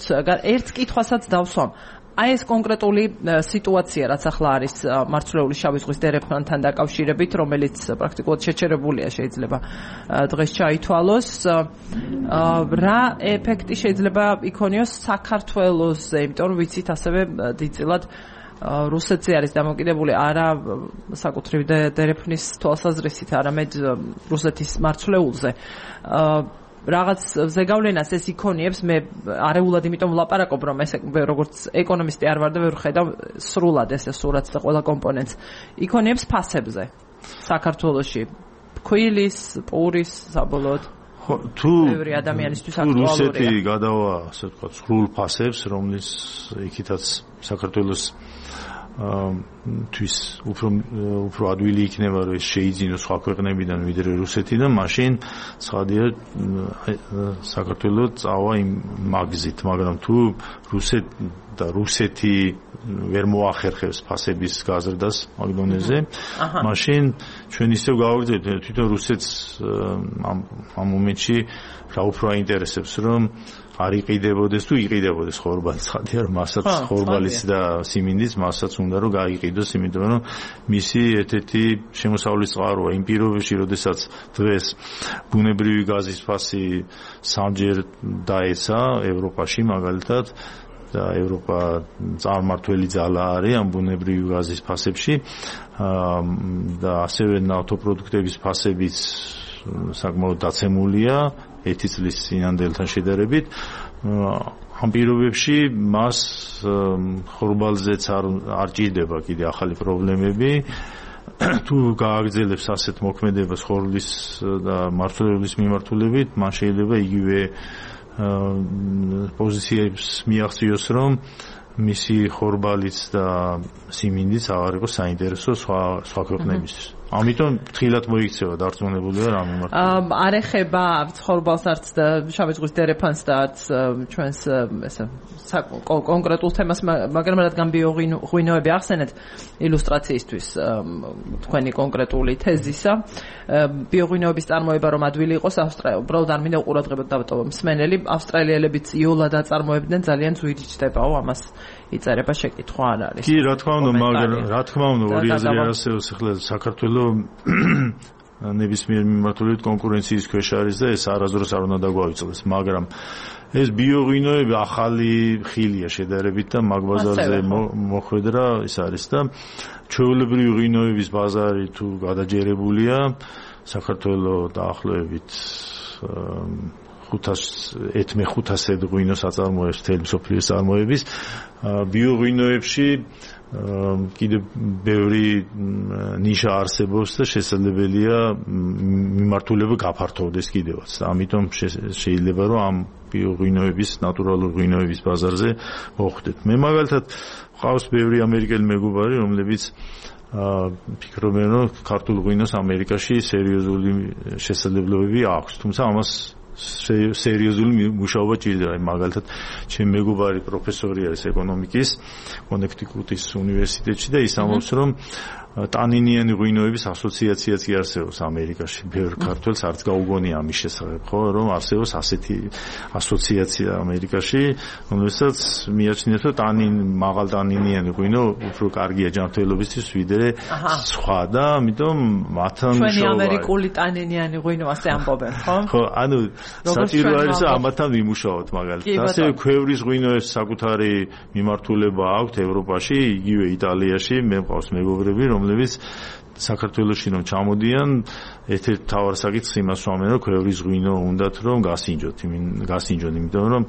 ერთ კითხვასაც დავსვამ. აი ეს კონკრეტული სიტუაცია, რაც ახლა არის მარცვლეული შავი ზღვის დერეფანთან დაკავშირებით, რომელიც პრაქტიკულად შეჩერებულია, შეიძლება დღეს ჩაითვალოს. რა ეფექტი შეიძლება იქონიოს საქართველოზე, იმიტომ რომ ვიცით ასევე დიდწილად რუსეთზე არის დამოკიდებული არა საკუთრივ დერეფნის თვალსაზრისით, არამედ რუსეთის მარცვლეულზე. რაღაც ზეგავლენას ეს იქონიებს, მე არეულად იმიტომ ვლაპარაკობ, რომ ეს როგორც ეკონომისტი არ ვარ და ვერ ხედავ სრულად ეს სურათს და ყველა კომპონენტს იქონიებს ფასებზე საქართველოში, ქვილის, პურის, საბოლოოდ თუ ბევრი ადამიანისთვის აქტუალურია. რუსეთი გადავა, ასე ვთქვათ, სრულ ფასებს, რომლის იქითაც საქართველოს თვის უფრო უფრო ადვილი იქნება რომ შეიძინოს სხვა ქვეყნებიდან ვიდრე რუსეთიდან, მაშინ ცხადია საქართველოს წავა იმ მაგზით, მაგრამ თუ რუსეთ და რუსეთი ვერ მოახერხებს ფასების გაზრდას მაგ დონეზე, მაშინ ჩვენ ისევ გავაგრძელებთ, თვითონ რუსეთს ამ ამ მომენტში რა უფრო აინტერესებს, რომ არ იყიდებოდეს თუ იყიდებოდეს ხორბალი, ცხადია რომ მასაც ხორბალის და სიმინდის მასაც უნდა რომ გაიყიდოს, იმიტომ რომ მისი ერთ-ერთი შემოსავლის წყაროა იმ პირობებში, როდესაც დღეს ბუნებრივი გაზის ფასი სამჯერ დაეცა ევროპაში მაგალითად და ევროპა წარმართველი ძალა არის ამ ბუნებრივი გაზის ფასებში და ასევე ნავთობპროდუქტების ფასებიც საკმაოდ დაცემულია ერთი წლის წინანდელთან შედარებით. ამ პირობებში მას ხორბალზეც არ არ ჭირდება კიდე ახალი პრობლემები. თუ გააგრძელებს ასეთ მოქმედებას ხორბლის და მარცვლეულის მიმართულებით, მან შეიძლება იგივე პოზიციებს მიაღწიოს, რომ მისი ხორბალიც და სიმინდიც აღარ იყოს საინტერესო სხვა სხვა ქვეყნებისთვის. ამიტომ თხილად მოიქცევა დარწმუნებული ვარ ამ მიმართულებით. არ ეხება ხორბალს არც და შავი ზღვის დერეფანს და არც ჩვენს ესე კონკრეტულ თემას, მაგრამ რადგან ბიოღვინოები ახსენეთ illustratsiისთვის თქვენი კონკრეტული თეზისა, ბიოღვინოების წარმოება რომ ადვილი იყოს ავსტრალია, უბრალოდ არ მინდა ყურადღებად დავტოვო მსმენელი, ავსტრალიელებიც იოლად აწარმოებდნენ, ძალიან ძვირი ჩდებაო, ამას იწერება შეკითხვა არ არის. კი, რა თქმა უნდა, მაგრამ რა თქმა უნდა, ორი აზრი არსებობს, ახლა საქართველოს ნებისმიერ მიმართულებით კონკურენციის ქვეშ არის და ეს არასდროს არ უნდა დაგვაიწოვოს, მაგრამ ეს ბიოღვინოები ახალი ხილია შედარებით და მაგ ბაზარზე მოხვედრა ის არის და ჩვეულებრივი ღვინოების ბაზარი თუ გადაჯერებულია, საქართველოს დაახლოებით ხუთას ეთმეხუთასი ღვინოს აწარმოებს მთელი მსოფლიოს წარმოების. ბიოღვინოებში კიდე ბევრი ნიშა არსებობს და შესაძლებელია მიმართულება გაფართოვდეს კიდევაც. ამიტომ შეიძლება რომ ამ ბიოღვინოების, ნატურალური ღვინოების ბაზარზე მოხვდეთ. მე მაგალითად ყავს ბევრი ამერიკელი მეგობარი, რომლებიც ფიქრობენ, რომ ქართულ ღვინოს ამერიკაში სერიოზული შესაძლებლობები აქვს, თუმცა ამას სერიოზული მუშაობა ჭირდება. მაგალითად, ჩემი მეგობარი პროფესორი არის ეკონომიკის კონექტიკუტის უნივერსიტეტში და ის ამბობს, რომ ტანინიანი ღვინოების ასოციაციაც კი არსებობს ამერიკაში. ბევრ ქართველს არც გაუგონია ამის შესახებ, ხო, რომ არსებობს ასეთი ასოციაცია ამერიკაში, რომელსაც მიაჩნიათ, რომ ტანინ მაღალ ტანინიანი ღვინო უფრო კარგია ჯანმრთელობისთვის ვიდრე სხვა და ამიტომ მათთან მუშაობა. ჩვენი ამერიკული ტანინიანი ღვინო ასე ამბობენ, ხო? ხო, ანუ საჭირო არის ამათთან ვიმუშაოთ მაგალითად. ასევე ქვევრის ღვინოებს საკუთარი მიმართულება აქვთ ევროპაში, იგივე იტალიაში, მე მყავს მეგობრები, რომლებიც საქართველოში რომ ჩამოდიან, ერთ-ერთი მთავარ საკითხს იმას ვამენ, რომ ქვევრის ღვინო უნდათ რომ გასინჯოთ, გასინჯონ, იმიტომ რომ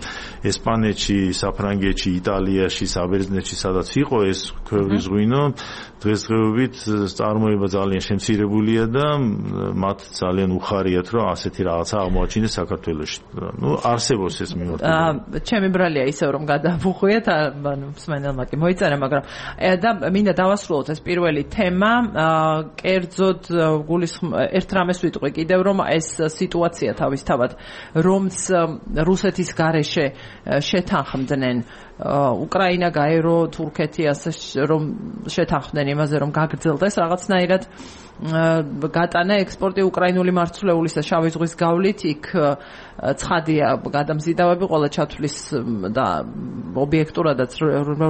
ესპანეთში, საფრანგეთში, იტალიაში, საბერძნეთში სადაც იყო ეს ქვევრის ღვინო, დღესდღეობით წარმოება ძალიან შემცირებულია და მათ ძალიან უხარიათ, რომ ასეთი რაღაცა აღმოაჩინეს საქართველოში. ნუ არსებობს ეს მიმართულება. ჩემი ბრალია ისევ რომ გადავუხვიეთ, ანუ მსმენელმა კი მოიწერა, მაგრამ და მინდა დავასრულოთ ეს პირველი თემა, კერძოდ ერთ რამეს ვიტყვი კიდევ, რომ ეს სიტუაცია თავისთავად, რომც რუსეთის გარეშე შეთანხმდნენ უკრაინა, გაერო, თურქეთი, ასე რომ შეთანხმდნენ იმაზე, რომ გაგრძელდეს რაღაცნაირად გატანა ექსპორტი უკრაინული მარცვლეულის და შავი ზღვის გავლით, იქ ცხადია გადამზიდავები ყველა ჩათვლის და ობიექტურადაც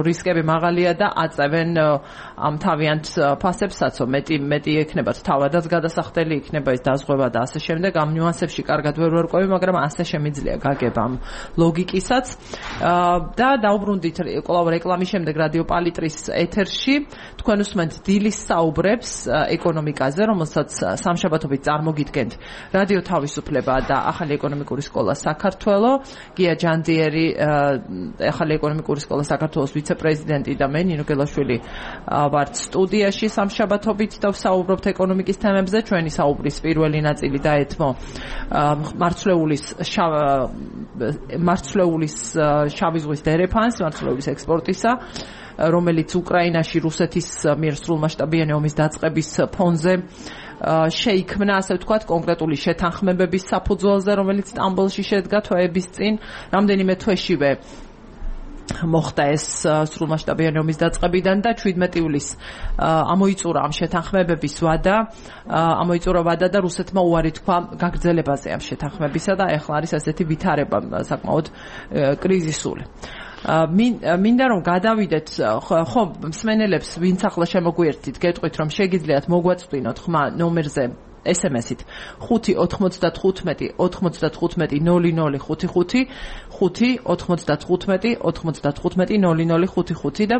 რისკები მაღალია და აწევენ ამ თავიანთ ფასებსაც, მეტი მეტი ექნებათ თავადაც გადასახდელი იქნება ეს დაზღვევა და ასე შემდეგ. ამ ნიუანსებში კარგად ვერ ვერკვევი, მაგრამ ასე შემიძლია გაგება ამ ლოგიკისაც და დაუბრუნდით კვლავ რეკლამის შემდეგ რადიო პალიტრის ეთერში თქვენ უსმენთ დილის საუბრებს ეკონომიკაზე, რომელსაც სამშაბათობით წარმოგიდგენთ რადიო თავისუფლება და ახალი ეკონომიკური სკოლა საქართველო. გია ჯანდიერი, ახალი ეკონომიკური სკოლა საქართველოს ვიცე-პრეზიდენტი და მე ნინო გელაშვილი ვართ სტუდიაში სამშაბათობით და ვსაუბრობთ ეკონომიკის თემებზე. ჩვენი საუბრის პირველი ნაწილი დაეთმო მარცვლეულის მარცვლეულის შავი ზღვის დერეფანს, მარცვლეულის ექსპორტისა, რომელიც უკრაინაში რუსეთის მიერ სრულმასშტაბიანი ომის დაწყების ფონზე შეიქმნა, ასე ვთქვათ, კონკრეტული შეთანხმებების საფუძველზე, რომელიც სტამბოლში შედგა თვეების წინ. რამდენიმე თვეშივე მოხდა ეს სრულმასშტაბიანი ომის დაწყებიდან და შვიდმეტი ივლისს ამოიწურა ამ შეთანხმებების ვადა, ამოიწურა ვადა და რუსეთმა უარი თქვა გაგრძელებაზე ამ შეთანხმებისა და ახლა არის ასეთი ვითარება საკმაოდ კრიზისული. მინდა რომ გადავიდეთ, ხო, მსმენელებს ვინც ახლა შემოგვიერთით, გეტყვით რომ შეგიძლიათ მოგვაწვდინოთ ხმა ნომერზე ესემესით ხუთი ოთხმოცდათხუთმეტი ოთხმოცდათხუთმეტი ნოლი ნოლი ხუთი ხუთი ხუთი ოთხმოცდათხუთმეტი ოთხმოცდათხუთმეტი ნოლი ნოლი ხუთი ხუთი და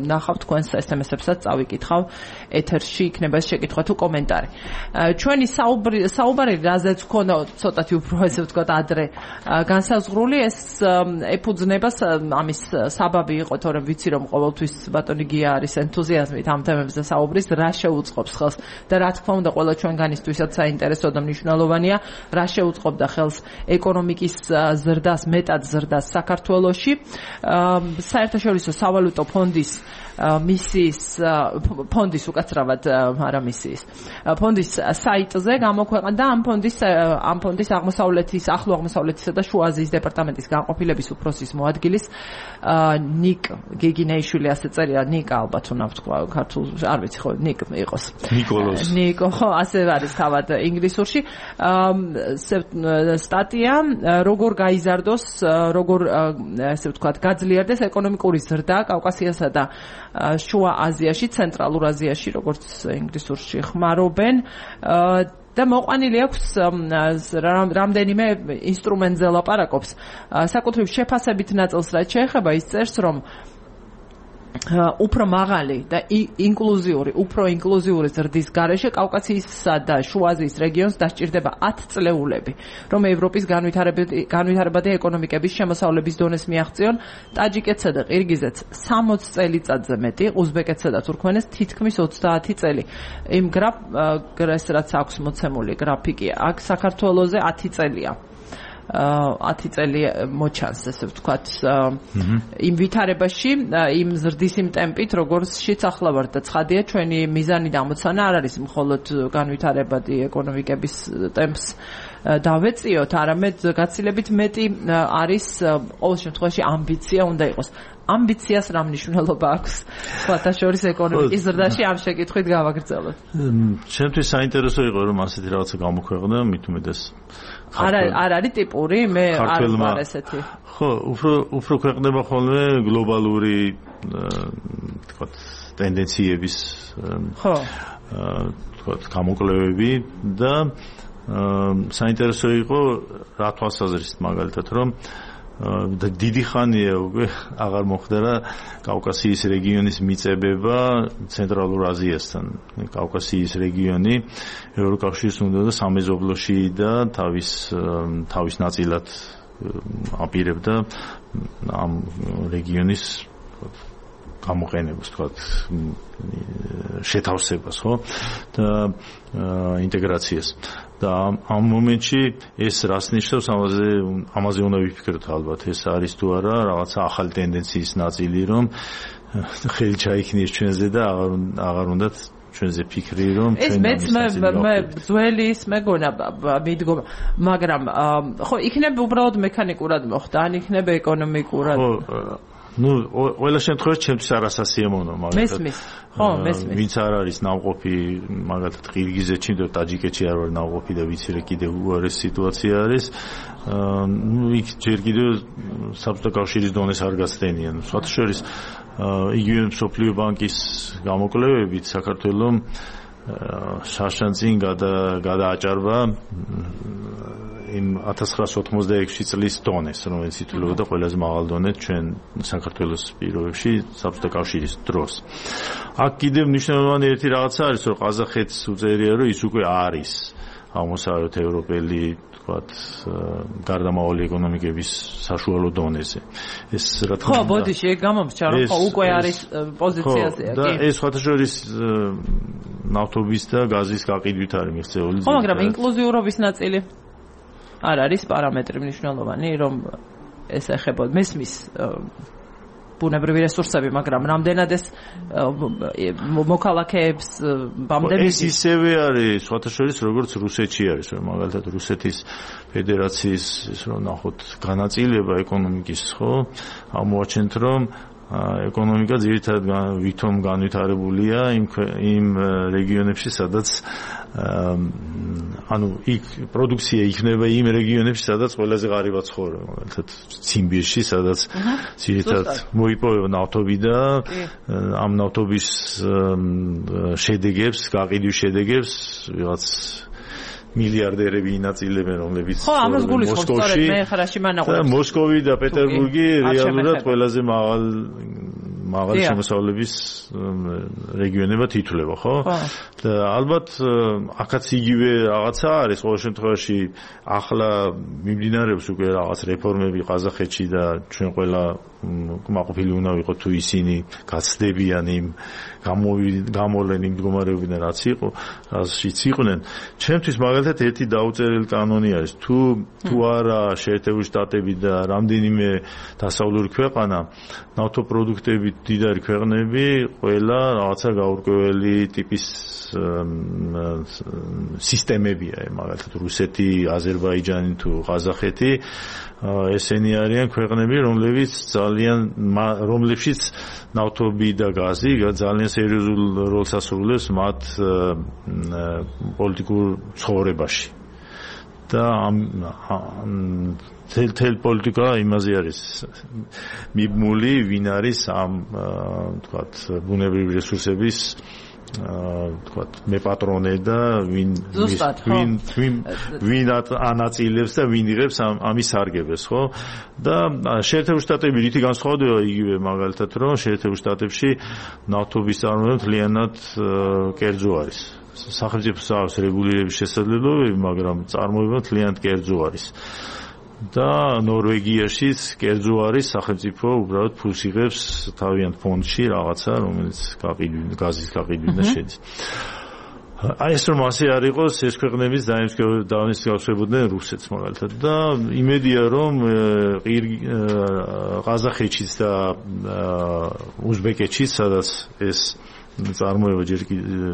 ნახავთ თქვენს ესემესებსაც წავიკითხავ ეთერში, იქნება ეს შეკითხვა თუ კომენტარი. ჩვენი საუბარი საუბარი რაზეც ქონა ცოტათი უფრო ესე ვთქვათ ადრე განსაზღვრული, ეს ეფუძნება ამის საბაბი იყო, თორემ ვიცი რომ ყოველთვის ბატონი გია არის ენთუზიაზმით ამ თემებზე საუბრის, რა შეუწყობს ხელს და რა თქმა უნდა ყველა ჩვენგანი ვისაც საინტერესო და მნიშვნელოვანია, რა შეუწყობდა ხელს ეკონომიკის ზრდას, მეტად ზრდას საქართველოში. საერთაშორისო სავალუტო ფონდის მისიის ფონდის უკაცრავად არა მისიის ფონდის საიტზე გამოქვეყნდა ამ ფონდის ამ ფონდის აღმოსავლეთის, ახლო აღმოსავლეთისა და შუა აზიის დეპარტამენტის განყოფილების უფროსის მოადგილის ნიკ გეგინეიშვილი, ასე წერია, ნიკა ალბათ უნდა ვთქვა ქართულ, არ ვიცი ხო, ნიკ იყოს. ნიკოლოს. ნიკო, ხო, ასე არის თავად ინგლისურში. სტატია, როგორ გაიზარდოს, როგორ ასე ვთქვათ, გაძლიერდეს ეკონომიკური ზრდა კავკასიასა და შუა აზიაში, ცენტრალურ აზიაში, როგორც ინგლისურში ხმარობენ. და მოყვანილი აქვს რამდენიმე ინსტრუმენტზე ლაპარაკობს. საკუთრივ შეფასებით ნაწილს რაც შეეხება, ის წერს, რომ უფრო მაღალი და ინკლუზიური, უფრო ინკლუზიური ზრდის გარეშე კავკასიისა და შუა აზიის რეგიონს დასჭირდება ათი წლეულები, რომ ევროპის განვითარებადი ეკონომიკების შემოსავლების დონეს მიაღწიონ ტაჯიკეთსა და ყირგიზეთს სამოცი წელიწადზე მეტი, უზბეკეთსა და თურქმენეთს თითქმის ოცდაათი წელი. იმ გრაფს რაც აქვს მოცემული გრაფიკი, აქ საქართველოზე ათი წელია. ათი წელი მოჩანს, ესე ვთქვათ, იმ ვითარებაში, იმ ზრდის იმ ტემპით, როგორცშიც ახლა ვართ და ცხადია, ჩვენი მიზანი და ამოცანა არ არის მხოლოდ განვითარებადი ეკონომიკების ტემპს დავეწიოთ, არამედ გაცილებით მეტი არის ყოველ შემთხვევაში ამბიცია უნდა იყოს. ამბიციას რა მნიშვნელობა აქვს სხვათა შორის ეკონომიკის ზრდაში, ამ შეკითხვით გავაგრძელოთ. ჩემთვის საინტერესო იყო რომ ასეთი რაღაცა გამოქვეყნდა, მით უმეტეს არ არ არის ტიპური, მე არ ვარ ესეთი. ხო, უფრო უფრო ქვეყნდება ხოლმე გლობალური თქვათ ტენდენციების ხო თქვათ გამოკვლევები და საინტერესო იყო რა თვალსაზრისით მაგალითად რომ დიდი ხანია უკვე აღარ მოხდა კავკასიის რეგიონის მიწებება ცენტრალურ აზიასთან. კავკასიის რეგიონი ევროკავშირს უნდა და სამეზობლოში და თავის თავის ნაწილად აპირებდა ამ რეგიონის გამოყენებას, თქვათ, შეთავსებას, ხო? და ინტეგრაციას. და ამ მომენტში ეს რას ნიშნავს, ამაზე ამაზე უნდა ვიფიქროთ ალბათ. ეს არის თუ არა რაღაცა ახალი ტენდენციის ნაწილი, რომ ხელი ჩაიქნიეს ჩვენზე და აღარ აღარ უნდათ ჩვენზე ფიქრი, რომ ჩვენ ეს მეც მე ძველი ის მეგონა მიდგომა, მაგრამ ხო იქნება უბრალოდ მექანიკურად მოხდა, ან იქნება ეკონომიკურად. ხო ну, ყველა შემთხვევაში ჩემთვის არასასიამოვნო, მაგალითად. მესმის. ხო, მესმის. ვინც არ არის ნავყოფი, მაგალითად, ყირგიზეთში და ტაჯიკეთში არ ვარ ნავყოფი და ვიცი რა კიდევ უარესი სიტუაცია არის. ну, იქ ჯერ კიდევ საბჭოთა კავშირის დონეს არ გაცდენიან. სხვათა შორის, იგივე მსოფლიო ბანკის გამოკვლევებით საქართველომ შარშანწინ გადააჭარბა იმ ათას ცხრაასი ოცდაექვსი წლის დონეს, რომელიც ითვლებოდა ყველაზე მაღალ დონეთ ჩვენ საქართველოს პირობებში საბჭოთა კავშირის დროს. აქ კიდევ მნიშვნელოვანი ერთი რაღაცა არის, რომ ყაზახეთს უწევია, რომ ის უკვე არის აღმოსავლეთ ევროპელი, თქვათ, გარდამავალი ეკონომიკების საშუალო დონეზე. ეს რა თქმა უნდა. ხო, ბოდიში, ეგ გამომსჭა, რომ ხო უკვე არის პოზიციაზეა, კი. და ეს სხვათა შორის ნავთობის და გაზის გაყიდვით არის მიღწეული. ხო, მაგრამ ინკლუზიურობის ნაწილი არ არის პარამეტრი მნიშვნელოვანი, რომ ეს ეხებოდა მესმის ბუნებრივი რესურსები, მაგრამ რამდენად ეს მოქალაქეებს ბამდები ეს ისევე არის, სხვათა შორის, როგორც რუსეთში არის, რომ მაგალითად რუსეთის ფედერაციის ის რომ ნახოთ განაწილება ეკონომიკის, ხო? ამოაჩენთ, რომ ეკონომიკა ძირითადად ვითომ განვითარებულია იმ იმ რეგიონებში, სადაც ანუ იქ პროდუქცია იქნება იმ რეგიონებში, სადაც ყველაზე ღარიბად ცხოვრობენ, მაგალითად ციმბირში, სადაც ძირითადად მოიპოვება ნავთობი და ამ ნავთობის შედეგებს, გაყიდვის შედეგებს ვიღაც მილიარდერები ინაწილებენ, რომლებიც მოსკოვში, მე ხარაში მანაყურებს. და მოსკოვი და პეტერბურგი რეალურად ყველაზე მაღალ მაღალი შემოსავლების რეგიონებად ითვლება, ხო? და ალბათ აქაც იგივე რაღაცა არის, ყოველ შემთხვევაში ახლა მიმდინარეობს უკვე რაღაც რეფორმები ყაზახეთში და ჩვენ ყველა კმაყოფილი უნდა ვიყოთ თუ ისინი გაცდებიან იმ გამოვლენ იმ მდგომარეობიდან რაც იყო, რაშიც იყვნენ. ჩემთვის მაგალითად ერთი დაუწერელი კანონი არის, თუ თუ არა შეერთებული შტატები და რამდენიმე დასავლური ქვეყანა ნავთობპროდუქტებით დიდარი ქვეყნები, ყველა რაღაცა გაურკვეველი ტიპის სისტემებია, მაგალითად რუსეთი, აზერბაიჯანი თუ ყაზახეთი, ესენი არიან ქვეყნები, რომლებიც ძალიან რომლებშიც ნავთობი და გაზი ძალიან სერიოზულ როლს ასრულებს მათ პოლიტიკურ ცხოვრებაში. და თელ პოლიტიკა იმაზე არის მიბმული, ვინ არის ამ თქვათ ბუნებრივი რესურსების თქვათ მეპატრონე და ვინ ვინ ვინ ვინ ანაწილებს და ვინ იღებს ამის სარგებელს, ხო? და შეერთებული შტატები რითი განსხვავდება იგივე მაგალითად, რომ შეერთებულ შტატებში ნავთობის წარმოება მთლიანად კერძო არის. სახელმწიფოს აქვს რეგულირების შესაძლებლობები, მაგრამ წარმოება მთლიანად კერძო არის. და ნორვეგიაშიც კერძო არის, სახელმწიფო უბრალოდ ფულს იღებს თავიანთ ფონდში რაღაცა, რომელიც გაყიდვი გაზის გაყიდვიდან შედის. აი ეს რომ ასე არ იყოს, ეს ქვეყნებიც დაანისგავსებოდნენ რუსეთს მაგალითად და იმედია რომ ყაზახეთშიც და უზბეკეთშიც, სადაც ეს წარმოება ჯერ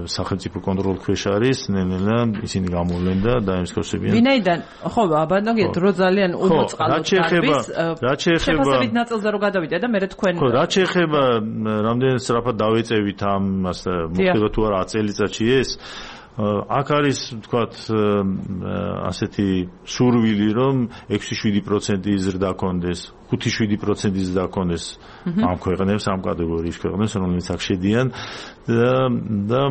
სახელმწიფო კონტროლის ქვეშ არის, ნელ-ნელა ისინი გამოვლენ და დაემსგავსებიან. ვინაიდან, ხო, აბანოგი დრო ძალიან უმოწყალოდ არის. რაც შეეხება შეფასებით ნაწილზე რო გადავიდე და მე თქვენ ხო, რაც შეეხება რამდენად სწრაფად დავეწევით ამას, მოხდება თუ არა ათი წელიწადში ეს აქ არის თქვათ ასეთი სურვილი, რომ ექვსი შვიდი პროცენტი ზრდა კონდეს, ხუთი შვიდი პროცენტი ზრდა კონდეს ამ ქვეყნებს, ამ კატეგორიის ქვეყნებს, რომლებიც აქ შედიან და და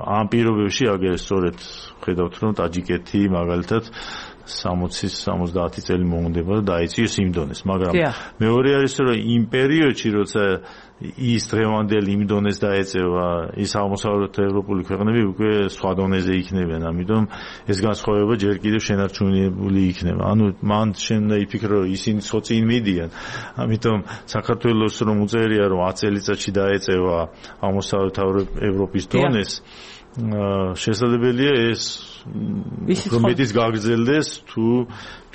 ამ პირობებში აგერ სწორედ ხედავთ, რომ ტაჯიკეთი მაგალითად სამოცი სამოცდაათი წელი მოუნდება და დაეციოს იმ დონეს, მაგრამ მეორე არის რომ იმ პერიოდში როცა ის დღევანდელი იმ დონეს დაეწევა, ის აღმოსავლეთ ევროპული ქვეყნები უკვე სხვა დონეზე იქნებიან, ამიტომ ეს განსხვავება ჯერ კიდევ შენარჩუნებული იქნება. ანუ მან შენ იფიქრო რომ ისინი წინ მიდიან, ამიტომ საქართველოს რომ უწერია რომ ათი წელიწადში დაეწევა აღმოსავლეთ ევროპის დონეს, შესაძლებელია ეს რომეთის გაგრძელდეს თუ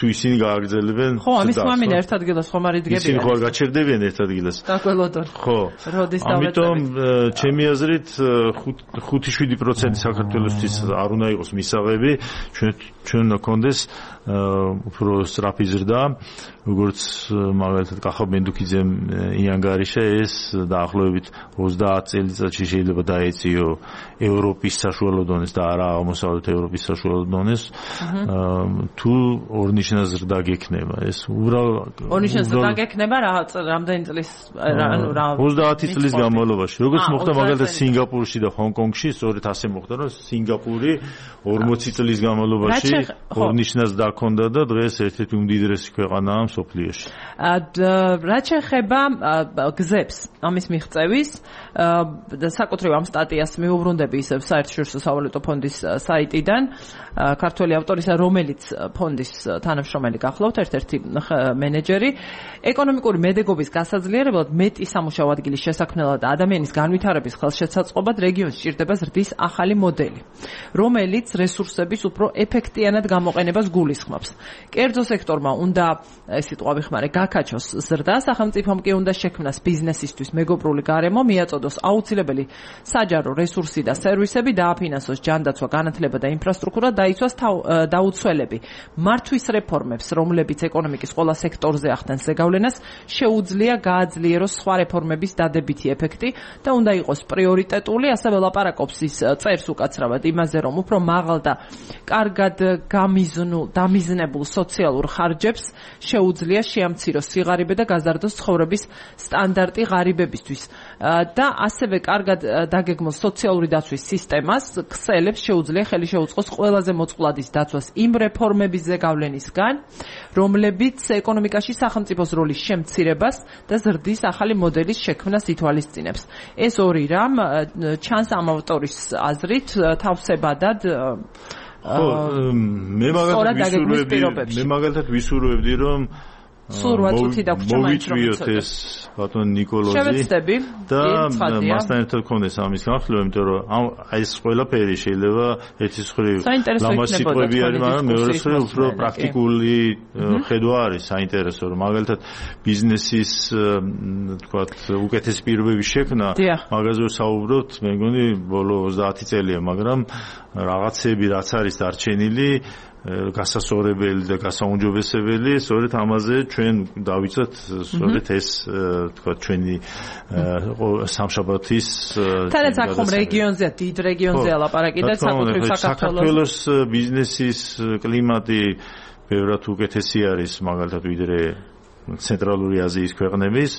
თუ ისინი გააგრძელებენ. ხო, ამის მამინა ერთ ადგილას ხომ არ იდგებიან. ისინი ხო არ გაჩერდებიან ერთ ადგილას. დაგველოდონ. ხო. როდის დავეწევით. ამიტომ ჩემი აზრით ხუთი შვიდი პროცენტი საქართველოსთვის არ უნდა იყოს მისაღები, ჩვენ ჩვენ უნდა გქონდეს უფრო სწრაფი ზრდა, როგორც მაგალითად კახაბ მენდუქიძემ იანგარიშა ეს დაახლოებით ოცდაათი წელიწადში შეიძლება დაეციო ევროპის საშუალო დონეს და არა აღმოსავლეთ ევროპის საშუალო დონეს. თუ ორნიშნა ზრდა გექნება ეს უბრალოდ ორნიშნა ზრდა გექნება რა რამდენი წლის ანუ რა ოცდაათი წლის განმავლობაში როგორც მოხდა მაგალითად სინგაპურში და ჰონკონგში სწორედ ასე მოხდა რომ სინგაპური ორმოცი წლის განმავლობაში ორნიშნას დაქონდა და დღეს ერთ-ერთი უმდიდრესი ქვეყანაა მსოფლიოში. რაც შეეხება გზებს ამის მიღწევის და საკუთრივ ამ სტატიას მიუბრუნდები ისევ საერთაშორისო სავალუტო ფონდის საიტიდან ქართველი ავტორისა რომელიც ფონდის თანამშრომელი გახლავთ ერთ-ერთი მენეჯერი ეკონომიკური მედეგობის გასაძლიერებლად მეტი სამუშაო ადგილის შესაქმნელად და ადამიანის განვითარების ხელშეცაწყობად რეგიონს სჭირდება ზრდის ახალი მოდელი რომელიც რესურსების უფრო ეფექტიანად გამოყენებას გულისხმობს. კერძო სექტორმა უნდა ეს სიტყვა ვიხმარე გაკაჩოს ზრდა, სახელმწიფომ კი უნდა შექმნას ბიზნესისთვის მეგობრული გარემო, მიაწოდოს აუცილებელი საჯარო რესურსი და სერვისები, დააფინანსოს ჯანდაცვა, განათლება და ინფრასტრუქტურა, დაიცვას დაუცველები. მართვის რეფორმებს, რომლებიც ეკონომიკის ყველა სექტორზე ახდენს ზეგავლენას, შეუძლია გააძლიეროს სხვა რეფორმების დადებითი ეფექტი და უნდა იყოს პრიორიტეტული, ასევე ლაპარაკობს ის წერს უკაცრავად იმაზე, რომ უფრო მაღალ და კარგად გამიზნულ, დამიზნებულ სოციალურ ხარჯებს შეუძლია შეამციროს სიღარიბე და გაზარდოს ცხოვრების სტანდარტი ღარიბებისთვის და ასევე კარგად დაგეგმოს სოციალური დაცვის სისტემას ქსელებს შეუძლია ხელი შეუწყოს ყველაზე მოწყვლადის დაცვას იმ რეფორმების ზეგავლენისგან, რომლებიც ეკონომიკაში სახელმწიფოს როლის შემცირებას და ზრდის ახალი მოდელის შექმნას ითვალისწინებს. ეს ორი რამ ჩანს ამ ავტორის აზრით თავსებადად ხო, მე მაგალითად ვისურვებდი, რომ სულ რვა წუთი დაგვრჩა მაინც რომ მოვიწვიოთ ეს ბატონ ნიკოლოზი შევეცდები და მასთან ერთად გქონდეს ამის განხილვა, იმიტომ რომ აი ეს ყველაფერი შეიძლება ერთის მხრივ ლამაზ სიტყვები არის, მაგრამ მეორე მხრივ უფრო პრაქტიკული ხედვა არის საინტერესო, რომ მაგალითად ბიზნესის თქვათ უკეთესი პირობების შექმნა, მაგაზე საუბრობთ, მე მგონი ბოლო ოცდაათი წელია, მაგრამ რაღაცები რაც არის დარჩენილი გასასწორებელი და გასაუმჯობესებელი, სწორედ ამაზე ჩვენ დავიცვათ სწორედ ეს თქვა ჩვენი სამშაბათის თანაც აქ ხომ რეგიონზეა, დიდ რეგიონზეა ლაპარაკი და საკუთრივ საქართველოს ბიზნესის კლიმატი ბევრად უკეთესი არის მაგალითად ვიდრე ცენტრალური აზიის ქვეყნების.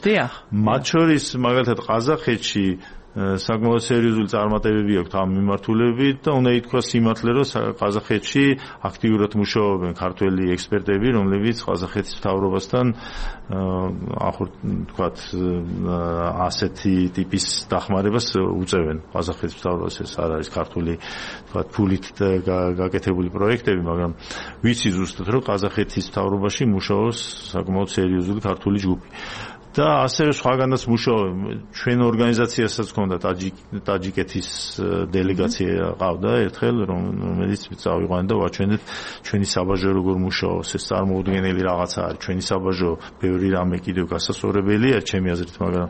მათ შორის მაგალითად ყაზახეთში საკმაოდ სერიოზული წარმატებები აქვს ამ მიმართულებით და უნდა ითქვას სიმართლე, რომ ყაზახეთში აქტიურად მუშაობენ ქართველი ექსპერტები, რომლებიც ყაზახეთის მთავრობასთან თქვათ ასეთი ტიპის დახმარებას უწევენ. ყაზახეთის მთავრობას ეს არ არის ქართული თქვათ ფულით გაკეთებული პროექტები, მაგრამ ვიცი ზუსტად, რომ ყაზახეთის მთავრობაში მუშაობს საკმაოდ სერიოზული ქართული ჯგუფი. და ასევე სხვაგანაც მუშაობენ. ჩვენ ორგანიზაციასაც ჰქონდა ტაჯიკეთის დელეგაცია ყავდა ერთხელ, რომელიც წავიყვანეთ და ვაჩვენეთ ჩვენი საბაჟო როგორ მუშაობს. ეს წარმოუდგენელი რაღაცა არის. ჩვენი საბაჟო ბევრი რამე კიდევ გასასწორებელია ჩემი აზრით, მაგრამ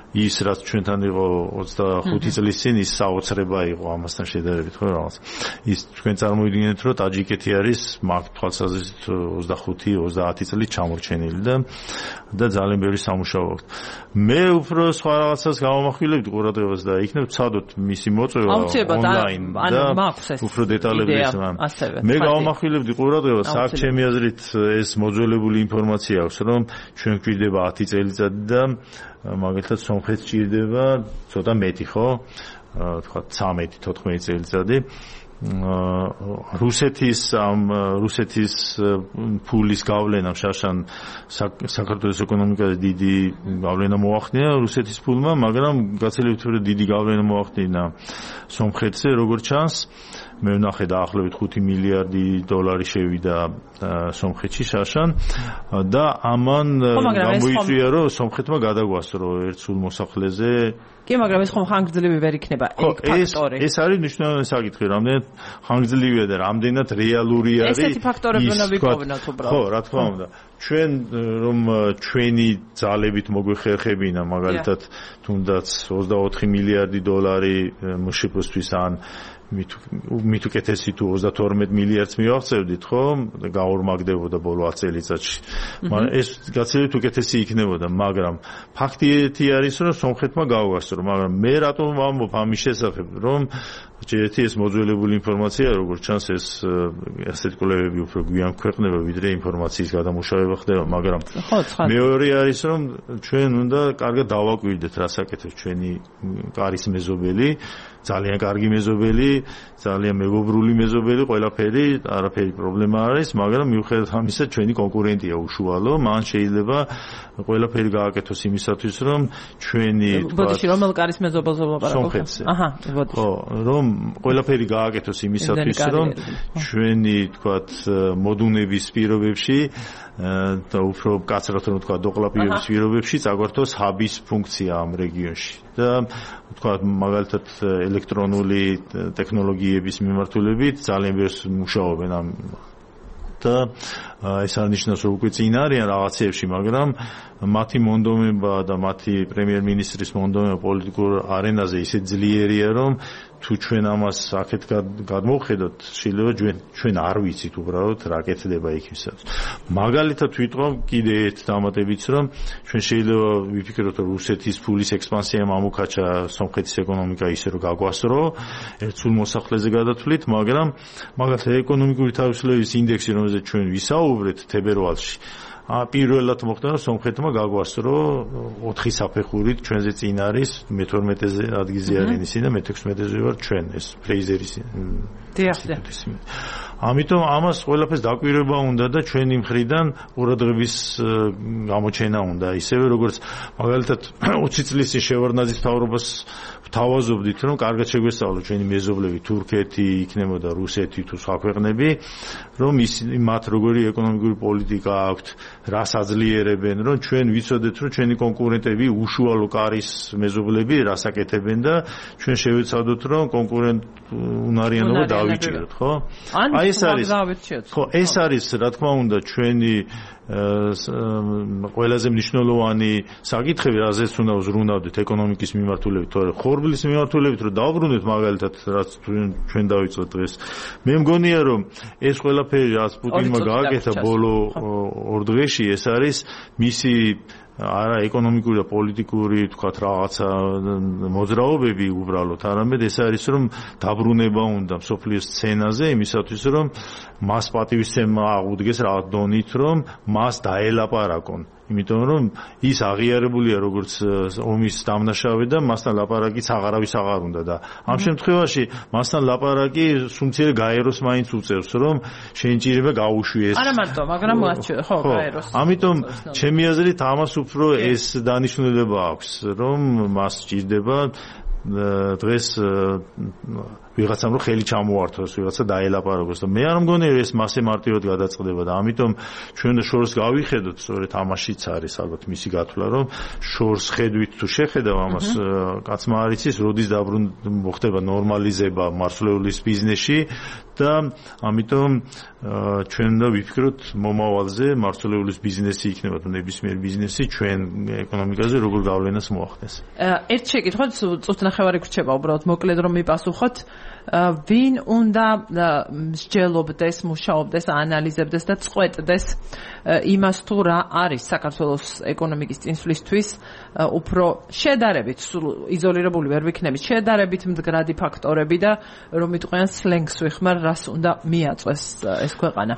ის რაც ჩვენთან იყო ოცდახუთი წლის წინ ის საოცრება იყო ამასთან შედარებით, ხო რაღაც. ის თქვენ წარმოიდგინეთ, რომ ტაჯიკეთი არის მაგ თვალსაზრისით ოცდახუთი ოცდაათი წლით ჩამორჩენილი და და ძალიან ბევრი სამუშაო აქვს. მე უფრო სხვა რაღაცას გამომახვილებდი ყურადღებას და იქნებ ვცადოთ მისი მოწვევა ონლაინ და უფრო დეტალების ამ. მე გამომახვილებდი ყურადღებას, აქ ჩემი აზრით ეს მოძველებული ინფორმაცია აქვს, რომ ჩვენ გვჭირდება ათი წელიწადი და მაგალითად სომხეთს ჭირდება ცოტა მეტი, ხო? თქვა ცამეტი თოთხმეტი წელიწადი რუსეთის ამ რუსეთის ფულის გავლენამ შაშან საქართველოს ეკონომიკაზე დიდი გავლენა მოახდინა რუსეთის ფულმა, მაგრამ გაცილებით უფრო დიდი გავლენა მოახდინა სომხეთზე, როგორც ჩანს. მე ვნახე დაახლოებით ხუთი მილიარდი დოლარი შევიდა სომხეთში შაშან და ამან გამოიწვია რომ სომხეთმა გადაგვასწრო ერთ სულ მოსახლეზე. კი, მაგრამ ეს ხომ ხანგრძლივი ვერ იქნება ეგ ფაქტორი. ეს არის მნიშვნელოვანი საკითხი, რამდენად ხანგრძლივია და რამდენად რეალური არის. ესეთი ფაქტორები უნდა ვიპოვოთ უბრალოდ. ხო, რა თქმა უნდა. ჩვენ რომ ჩვენი ძალებით მოგვეხერხებინა, მაგალითად, თუნდაც ოცდაოთხი მილიარდი დოლარი მშპ-ისთვის ან მით უკეთესი თუ ოცდათორმეტ მილიარდს მივახცევდით, ხო? გაორმაგდებოდა ბოლო ათი წელიწადში. მაგრამ ეს გაცილებით უკეთესი იქნებოდა, მაგრამ ფაქტი ერთი არის, რომ სომხეთმა გაუგასწრო, მაგრამ მე რატომ ვამბობ ამის შესახებ, რომ ჯერეთი ეს მოძველებული ინფორმაცია, როგორც ჩანს, ეს ასეთი კვლევები უფრო გვიან ქვეყნება, ვიდრე ინფორმაციის გადამუშავება ხდება, მაგრამ მეორე არის, რომ ჩვენ უნდა კარგად დავაკვირდეთ, რა საკეთებს ჩვენი კარის მეზობელი, ძალიან კარგი მეზობელი, ძალიან მეგობრული მეზობელი, ყველაფერი, არაფერი პრობლემა არ არის, მაგრამ მიუხედავად ამისა, ჩვენი კონკურენტია უშუალო, მან შეიძლება ყველაფერი გააკეთოს იმისათვის, რომ ჩვენი ბოდიში რომელ კარის მეზობელზე ვლაპარაკობ? აჰა, ბოდიში. ხო, რომ ყველაფერი გააკეთოს იმისათვის, რომ ჩვენი, თქვათ, მოდუნების პირობებში და უფრო კაცრად რომ თქვა დოყლაპირების პირობებში წაგვართოს ჰაბის ფუნქცია ამ რეგიონში და თქვა მაგალითად ელექტრონული ტექნოლოგიების მიმართულებით ძალიან ბევრს მუშაობენ ამ და ეს არნიშნავს რომ უკვე წინ არიან რაღაცეებში, მაგრამ მათი მონდომება და მათი პრემიერ-მინისტრის მონდომება პოლიტიკურ არენაზე ისე ძლიერია, რომ თუ ჩვენ ამას აქეთ გადმოვხედოთ, შეიძლება ჩვენ არ ვიცით უბრალოდ რა კეთდება იქ ისაც. მაგალითად ვიტყვავ კიდე ერთ დამატებიც, რომ ჩვენ შეიძლება ვიფიქროთ, რომ რუსეთის ფულის ექსპანსიამ ამოქაჩა სომხეთის ეკონომიკა ისე რომ გაგვასწრო, ერთ სულ მოსახლეზე გადათვლით, მაგრამ მაგალითად ეკონომიკური თავისუფლების ინდექსი, რომელზეც ჩვენ ვისაუბრეთ თებერვალში, პირველად მოხდა, რომ სომხეთმა გაგვასწრო ოთხი საფეხურით, ჩვენზე წინ არის მეთორმეტეზე ადგილზე არის ისინი და მეთექვსმეტეზე ვარ ჩვენ, ეს ფრეიზერის ინსტიტუტის. ამიტომ ამას ყველაფერს დაკვირვება უნდა და ჩვენი მხრიდან ყურადღების გამოჩენა უნდა, ისევე როგორც მაგალითად ოცი წლის წინ შევარდნაძის მთავრობას ვთავაზობდით, რომ კარგად შეგვესწავლოთ ჩვენი მეზობლები თურქეთი, იქნებოდა რუსეთი თუ სხვა ქვეყნები, რომ ისინი მათ როგორი ეკონომიკური პოლიტიკა აქვთ, რას აძლიერებენ, რომ ჩვენ ვიცოდეთ, რომ ჩვენი კონკურენტები უშუალო კარის მეზობლები რას აკეთებენ და ჩვენ შევეცადოთ, რომ კონკურენტუნარიანობა დავიჭიროთ, ხო? აი ეს არის ხო, ეს არის რა თქმა უნდა ჩვენი ყველაზე მნიშვნელოვანი საკითხები, რაზეც უნდა ვზრუნავდეთ ეკონომიკის მიმართულებით, თორე ხორბლის მიმართულებით რომ დავბრუნდეთ მაგალითად, რაც ჩვენ დავიწყოთ დღეს. მე მგონია, რომ ეს ყველაფერი რაც პუტინმა გააკეთა ბოლო ორ დღეში, ეს არის მისი არა ეკონომიკური და პოლიტიკური, თქვათ, რაღაცა მოძრაობები უბრალოდ, არამედ ეს არის, რომ დაბრუნება უნდა მსოფლიოს სცენაზე იმისათვის, რომ მას პატივისცემა აღუდგეს რაღაც დონით, რომ მას დაელაპარაკონ. იმიტომ რომ ის აღიარებულია როგორც ომის დამნაშავე და მასთან ლაპარაკიც აღარავის აღარ უნდა და ამ შემთხვევაში მასთან ლაპარაკი სუმცირე გაეროს მაინც უწევს, რომ შეინჭირება გაუშვიეს. არა მარტო, მაგრამ ხო, გაეროს. ამიტომ ჩემი აზრით ამას უფრო ეს დანიშნულება აქვს, რომ მას სჭირდება დღეს ვიღაცამ რომ ხელი ჩამოართოს, ვიღაცა დაელაპარაკოს და მე არ მგონი რომ ეს მასე მარტივად გადაწყდება და ამიტომ ჩვენ და შორს გავიხედოთ, სწორედ ამაშიც არის ალბათ მისი გათვლა, რომ შორს ხედვით თუ შეხედავ ამას, კაცმა არ იცის, როდის დაბრუნება ხდება ნორმალიზება მარცვლეულის ბიზნესში და ამიტომ ჩვენ და ვიფიქროთ მომავალზე მარცვლეულის ბიზნესი იქნება თუ ნებისმიერ ბიზნესი ჩვენ ეკონომიკაზე როგორ გავლენას მოახდენს. ერთ შეკითხვაც წუთნახევარი გრჩება უბრალოდ მოკლედ რომ მიპასუხოთ. ვინ უნდა მსჯელობდეს, მუშაობდეს, ანალიზებდეს და წყვეტდეს იმას თუ რა არის საქართველოს ეკონომიკის წინსვლისთვის უფრო შედარებით იზოლირებული ვერ ვიქნებით, შედარებით მდგრადი ფაქტორები და რომ იტყვიან სლენგს ვიხმარ, რას უნდა მიაწვეს ეს ქვეყანა.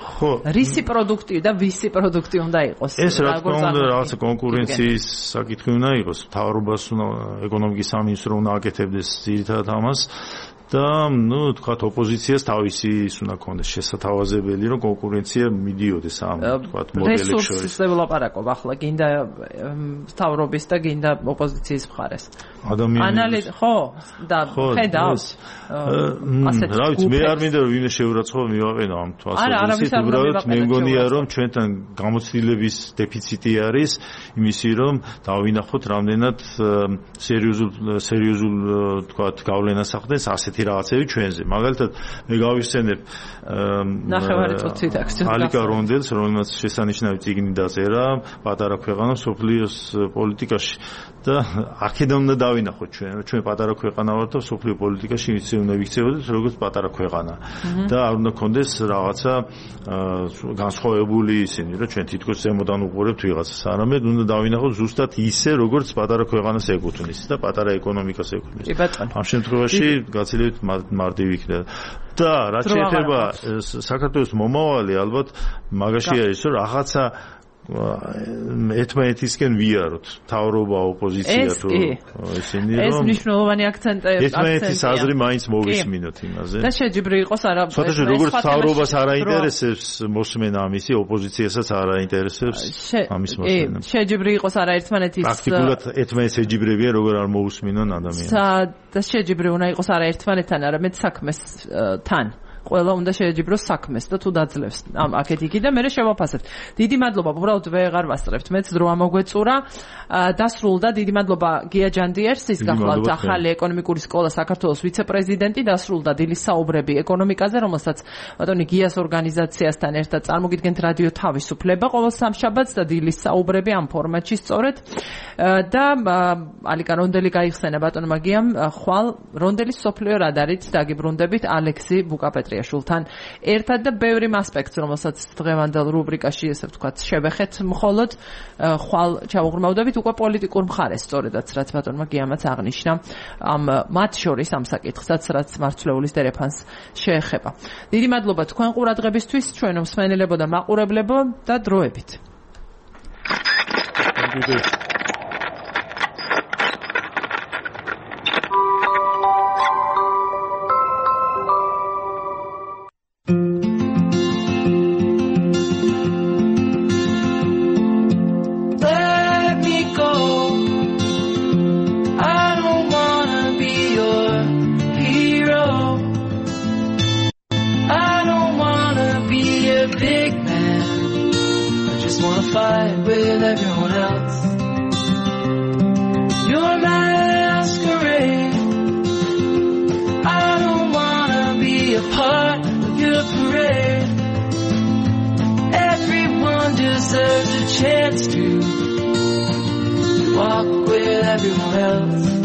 რისი პროდუქტი და ვისი პროდუქტი უნდა იყოს? ეს რა თქმა უნდა რაღაცა კონკურენციის საკითხი უნდა იყოს, მთავრობას უნდა ეკონომიკის სამინისტრო უნდა აკეთებდეს ძირითადად ამას. და ნუ თქვა ოპოზიციას თავისი ის უნდა ქონდეს შესათავაზებელი რომ კონკურენცია მიდიოდეს ამ თქვა მოდელებს შორის. რესურსზე ვლაპარაკობ ახლა გინდა თავრობის და გინდა ოპოზიციის მხარეს. ადამიანის ხო და ხედავს ასეთ რა ვიცი მე არ მინდა რომ ვინმე შეურაცხყოფა მივაყენო ამ თვალსაზრისით უბრალოდ მე მგონია რომ ჩვენთან გამოცდილების დეფიციტი არის იმისი რომ დავინახოთ რამდენად სერიოზულ სერიოზულ თქვა გავლენას ახდენს ასეთი რაღაცები ჩვენზე მაგალითად მე გავიხსენებ ნახევარი წუთით აქცია ალიკა რონდელს რომელმაც შესანიშნავი წიგნი დაწერა პატარა ქვეყანა სოფლიოს პოლიტიკაში და აქედან უნდა დავინახოთ ჩვენ რომ ჩვენ პატარა ქვეყანა ვართ და სოფლიო პოლიტიკაში ისე უნდა ვიქცევოდეთ როგორც პატარა ქვეყანა და არ უნდა კონდეს რაღაცა განსხვავებული ისინი რომ ჩვენ თითქოს ზემოდან უყურებთ ვიღაცას არამედ უნდა დავინახოთ ზუსტად ისე როგორც პატარა ქვეყანას ეკუთვნის და პატარა ეკონომიკას ეკუთვნის ამ შემთხვევაში გაცილებით მარტივი იქნება და რაც შეეხება საქართველოს მომავალი ალბათ მაგაში არის რომ რაღაცა ერთმანეთისკენ ვიაროთ თავრობა ოპოზიცია თუ ისინი რომ ეს მნიშვნელოვანი აქცენტია ერთმანეთის აზრი მაინც მოვისმინოთ იმაზე და შეჯიბრი იყოს არა სხვადასხვა როგორც თავრობას არ აინტერესებს მოსმენა ამისი ოპოზიციასაც არ აინტერესებს ამის მოსმენა შეჯიბრი იყოს არა ერთმანეთის პრაქტიკულად ერთმანეთს ეჯიბრებიან როგორ არ მოусმინონ ადამიანს და შეჯიბრი უნდა იყოს არა ერთმანეთთან არამედ საქმესთან ყველა უნდა შეეჯიბროს საქმეს და თუ დაძლევს ამ აქეთ იქი და მე შევაფასებთ. დიდი მადლობა, უბრალოდ ვეღარ ვასწრებთ. მეც დრო ამოგვეწურა. დასრულდა დიდი მადლობა გია ჯანდიერს, ის გახლავთ ახალი ეკონომიკური სკოლა საქართველოს ვიცე-პრეზიდენტი, დასრულდა დილის საუბრები ეკონომიკაზე, რომელსაც ბატონი გიას ორგანიზაციასთან ერთად წარმოგიდგენთ რადიო თავისუფლება ყოველ სამშაბათს და დილის საუბრები ამ ფორმატში სწორედ და ალიკა რონდელი გაიხსენა ბატონმა გიამ ხვალ რონდელის სოფლიო რადარით დაგიბრუნდებით ალექსი ბუკაპეტრიაშვილთან ერთად და ბევრი ასპექტს რომელსაც დღევანდელ რუბრიკაში ესე ვთქვათ შევეხეთ მხოლოდ ხვალ ჩავუღრმავდებით უკვე პოლიტიკურ მხარეს სწორედაც რაც ბატონმა გიამაც აღნიშნა ამ მათ შორის ამ საკითხსაც რაც მარცვლეულის დერეფანს შეეხება. დიდი მადლობა თქვენ ყურადღებისთვის, ჩვენო მსმენელებო და მაყურებლებო და დროებით. Fight with everyone else. You're my masquerade. I don't wanna be a part of your parade. Everyone deserves a chance to walk with everyone else.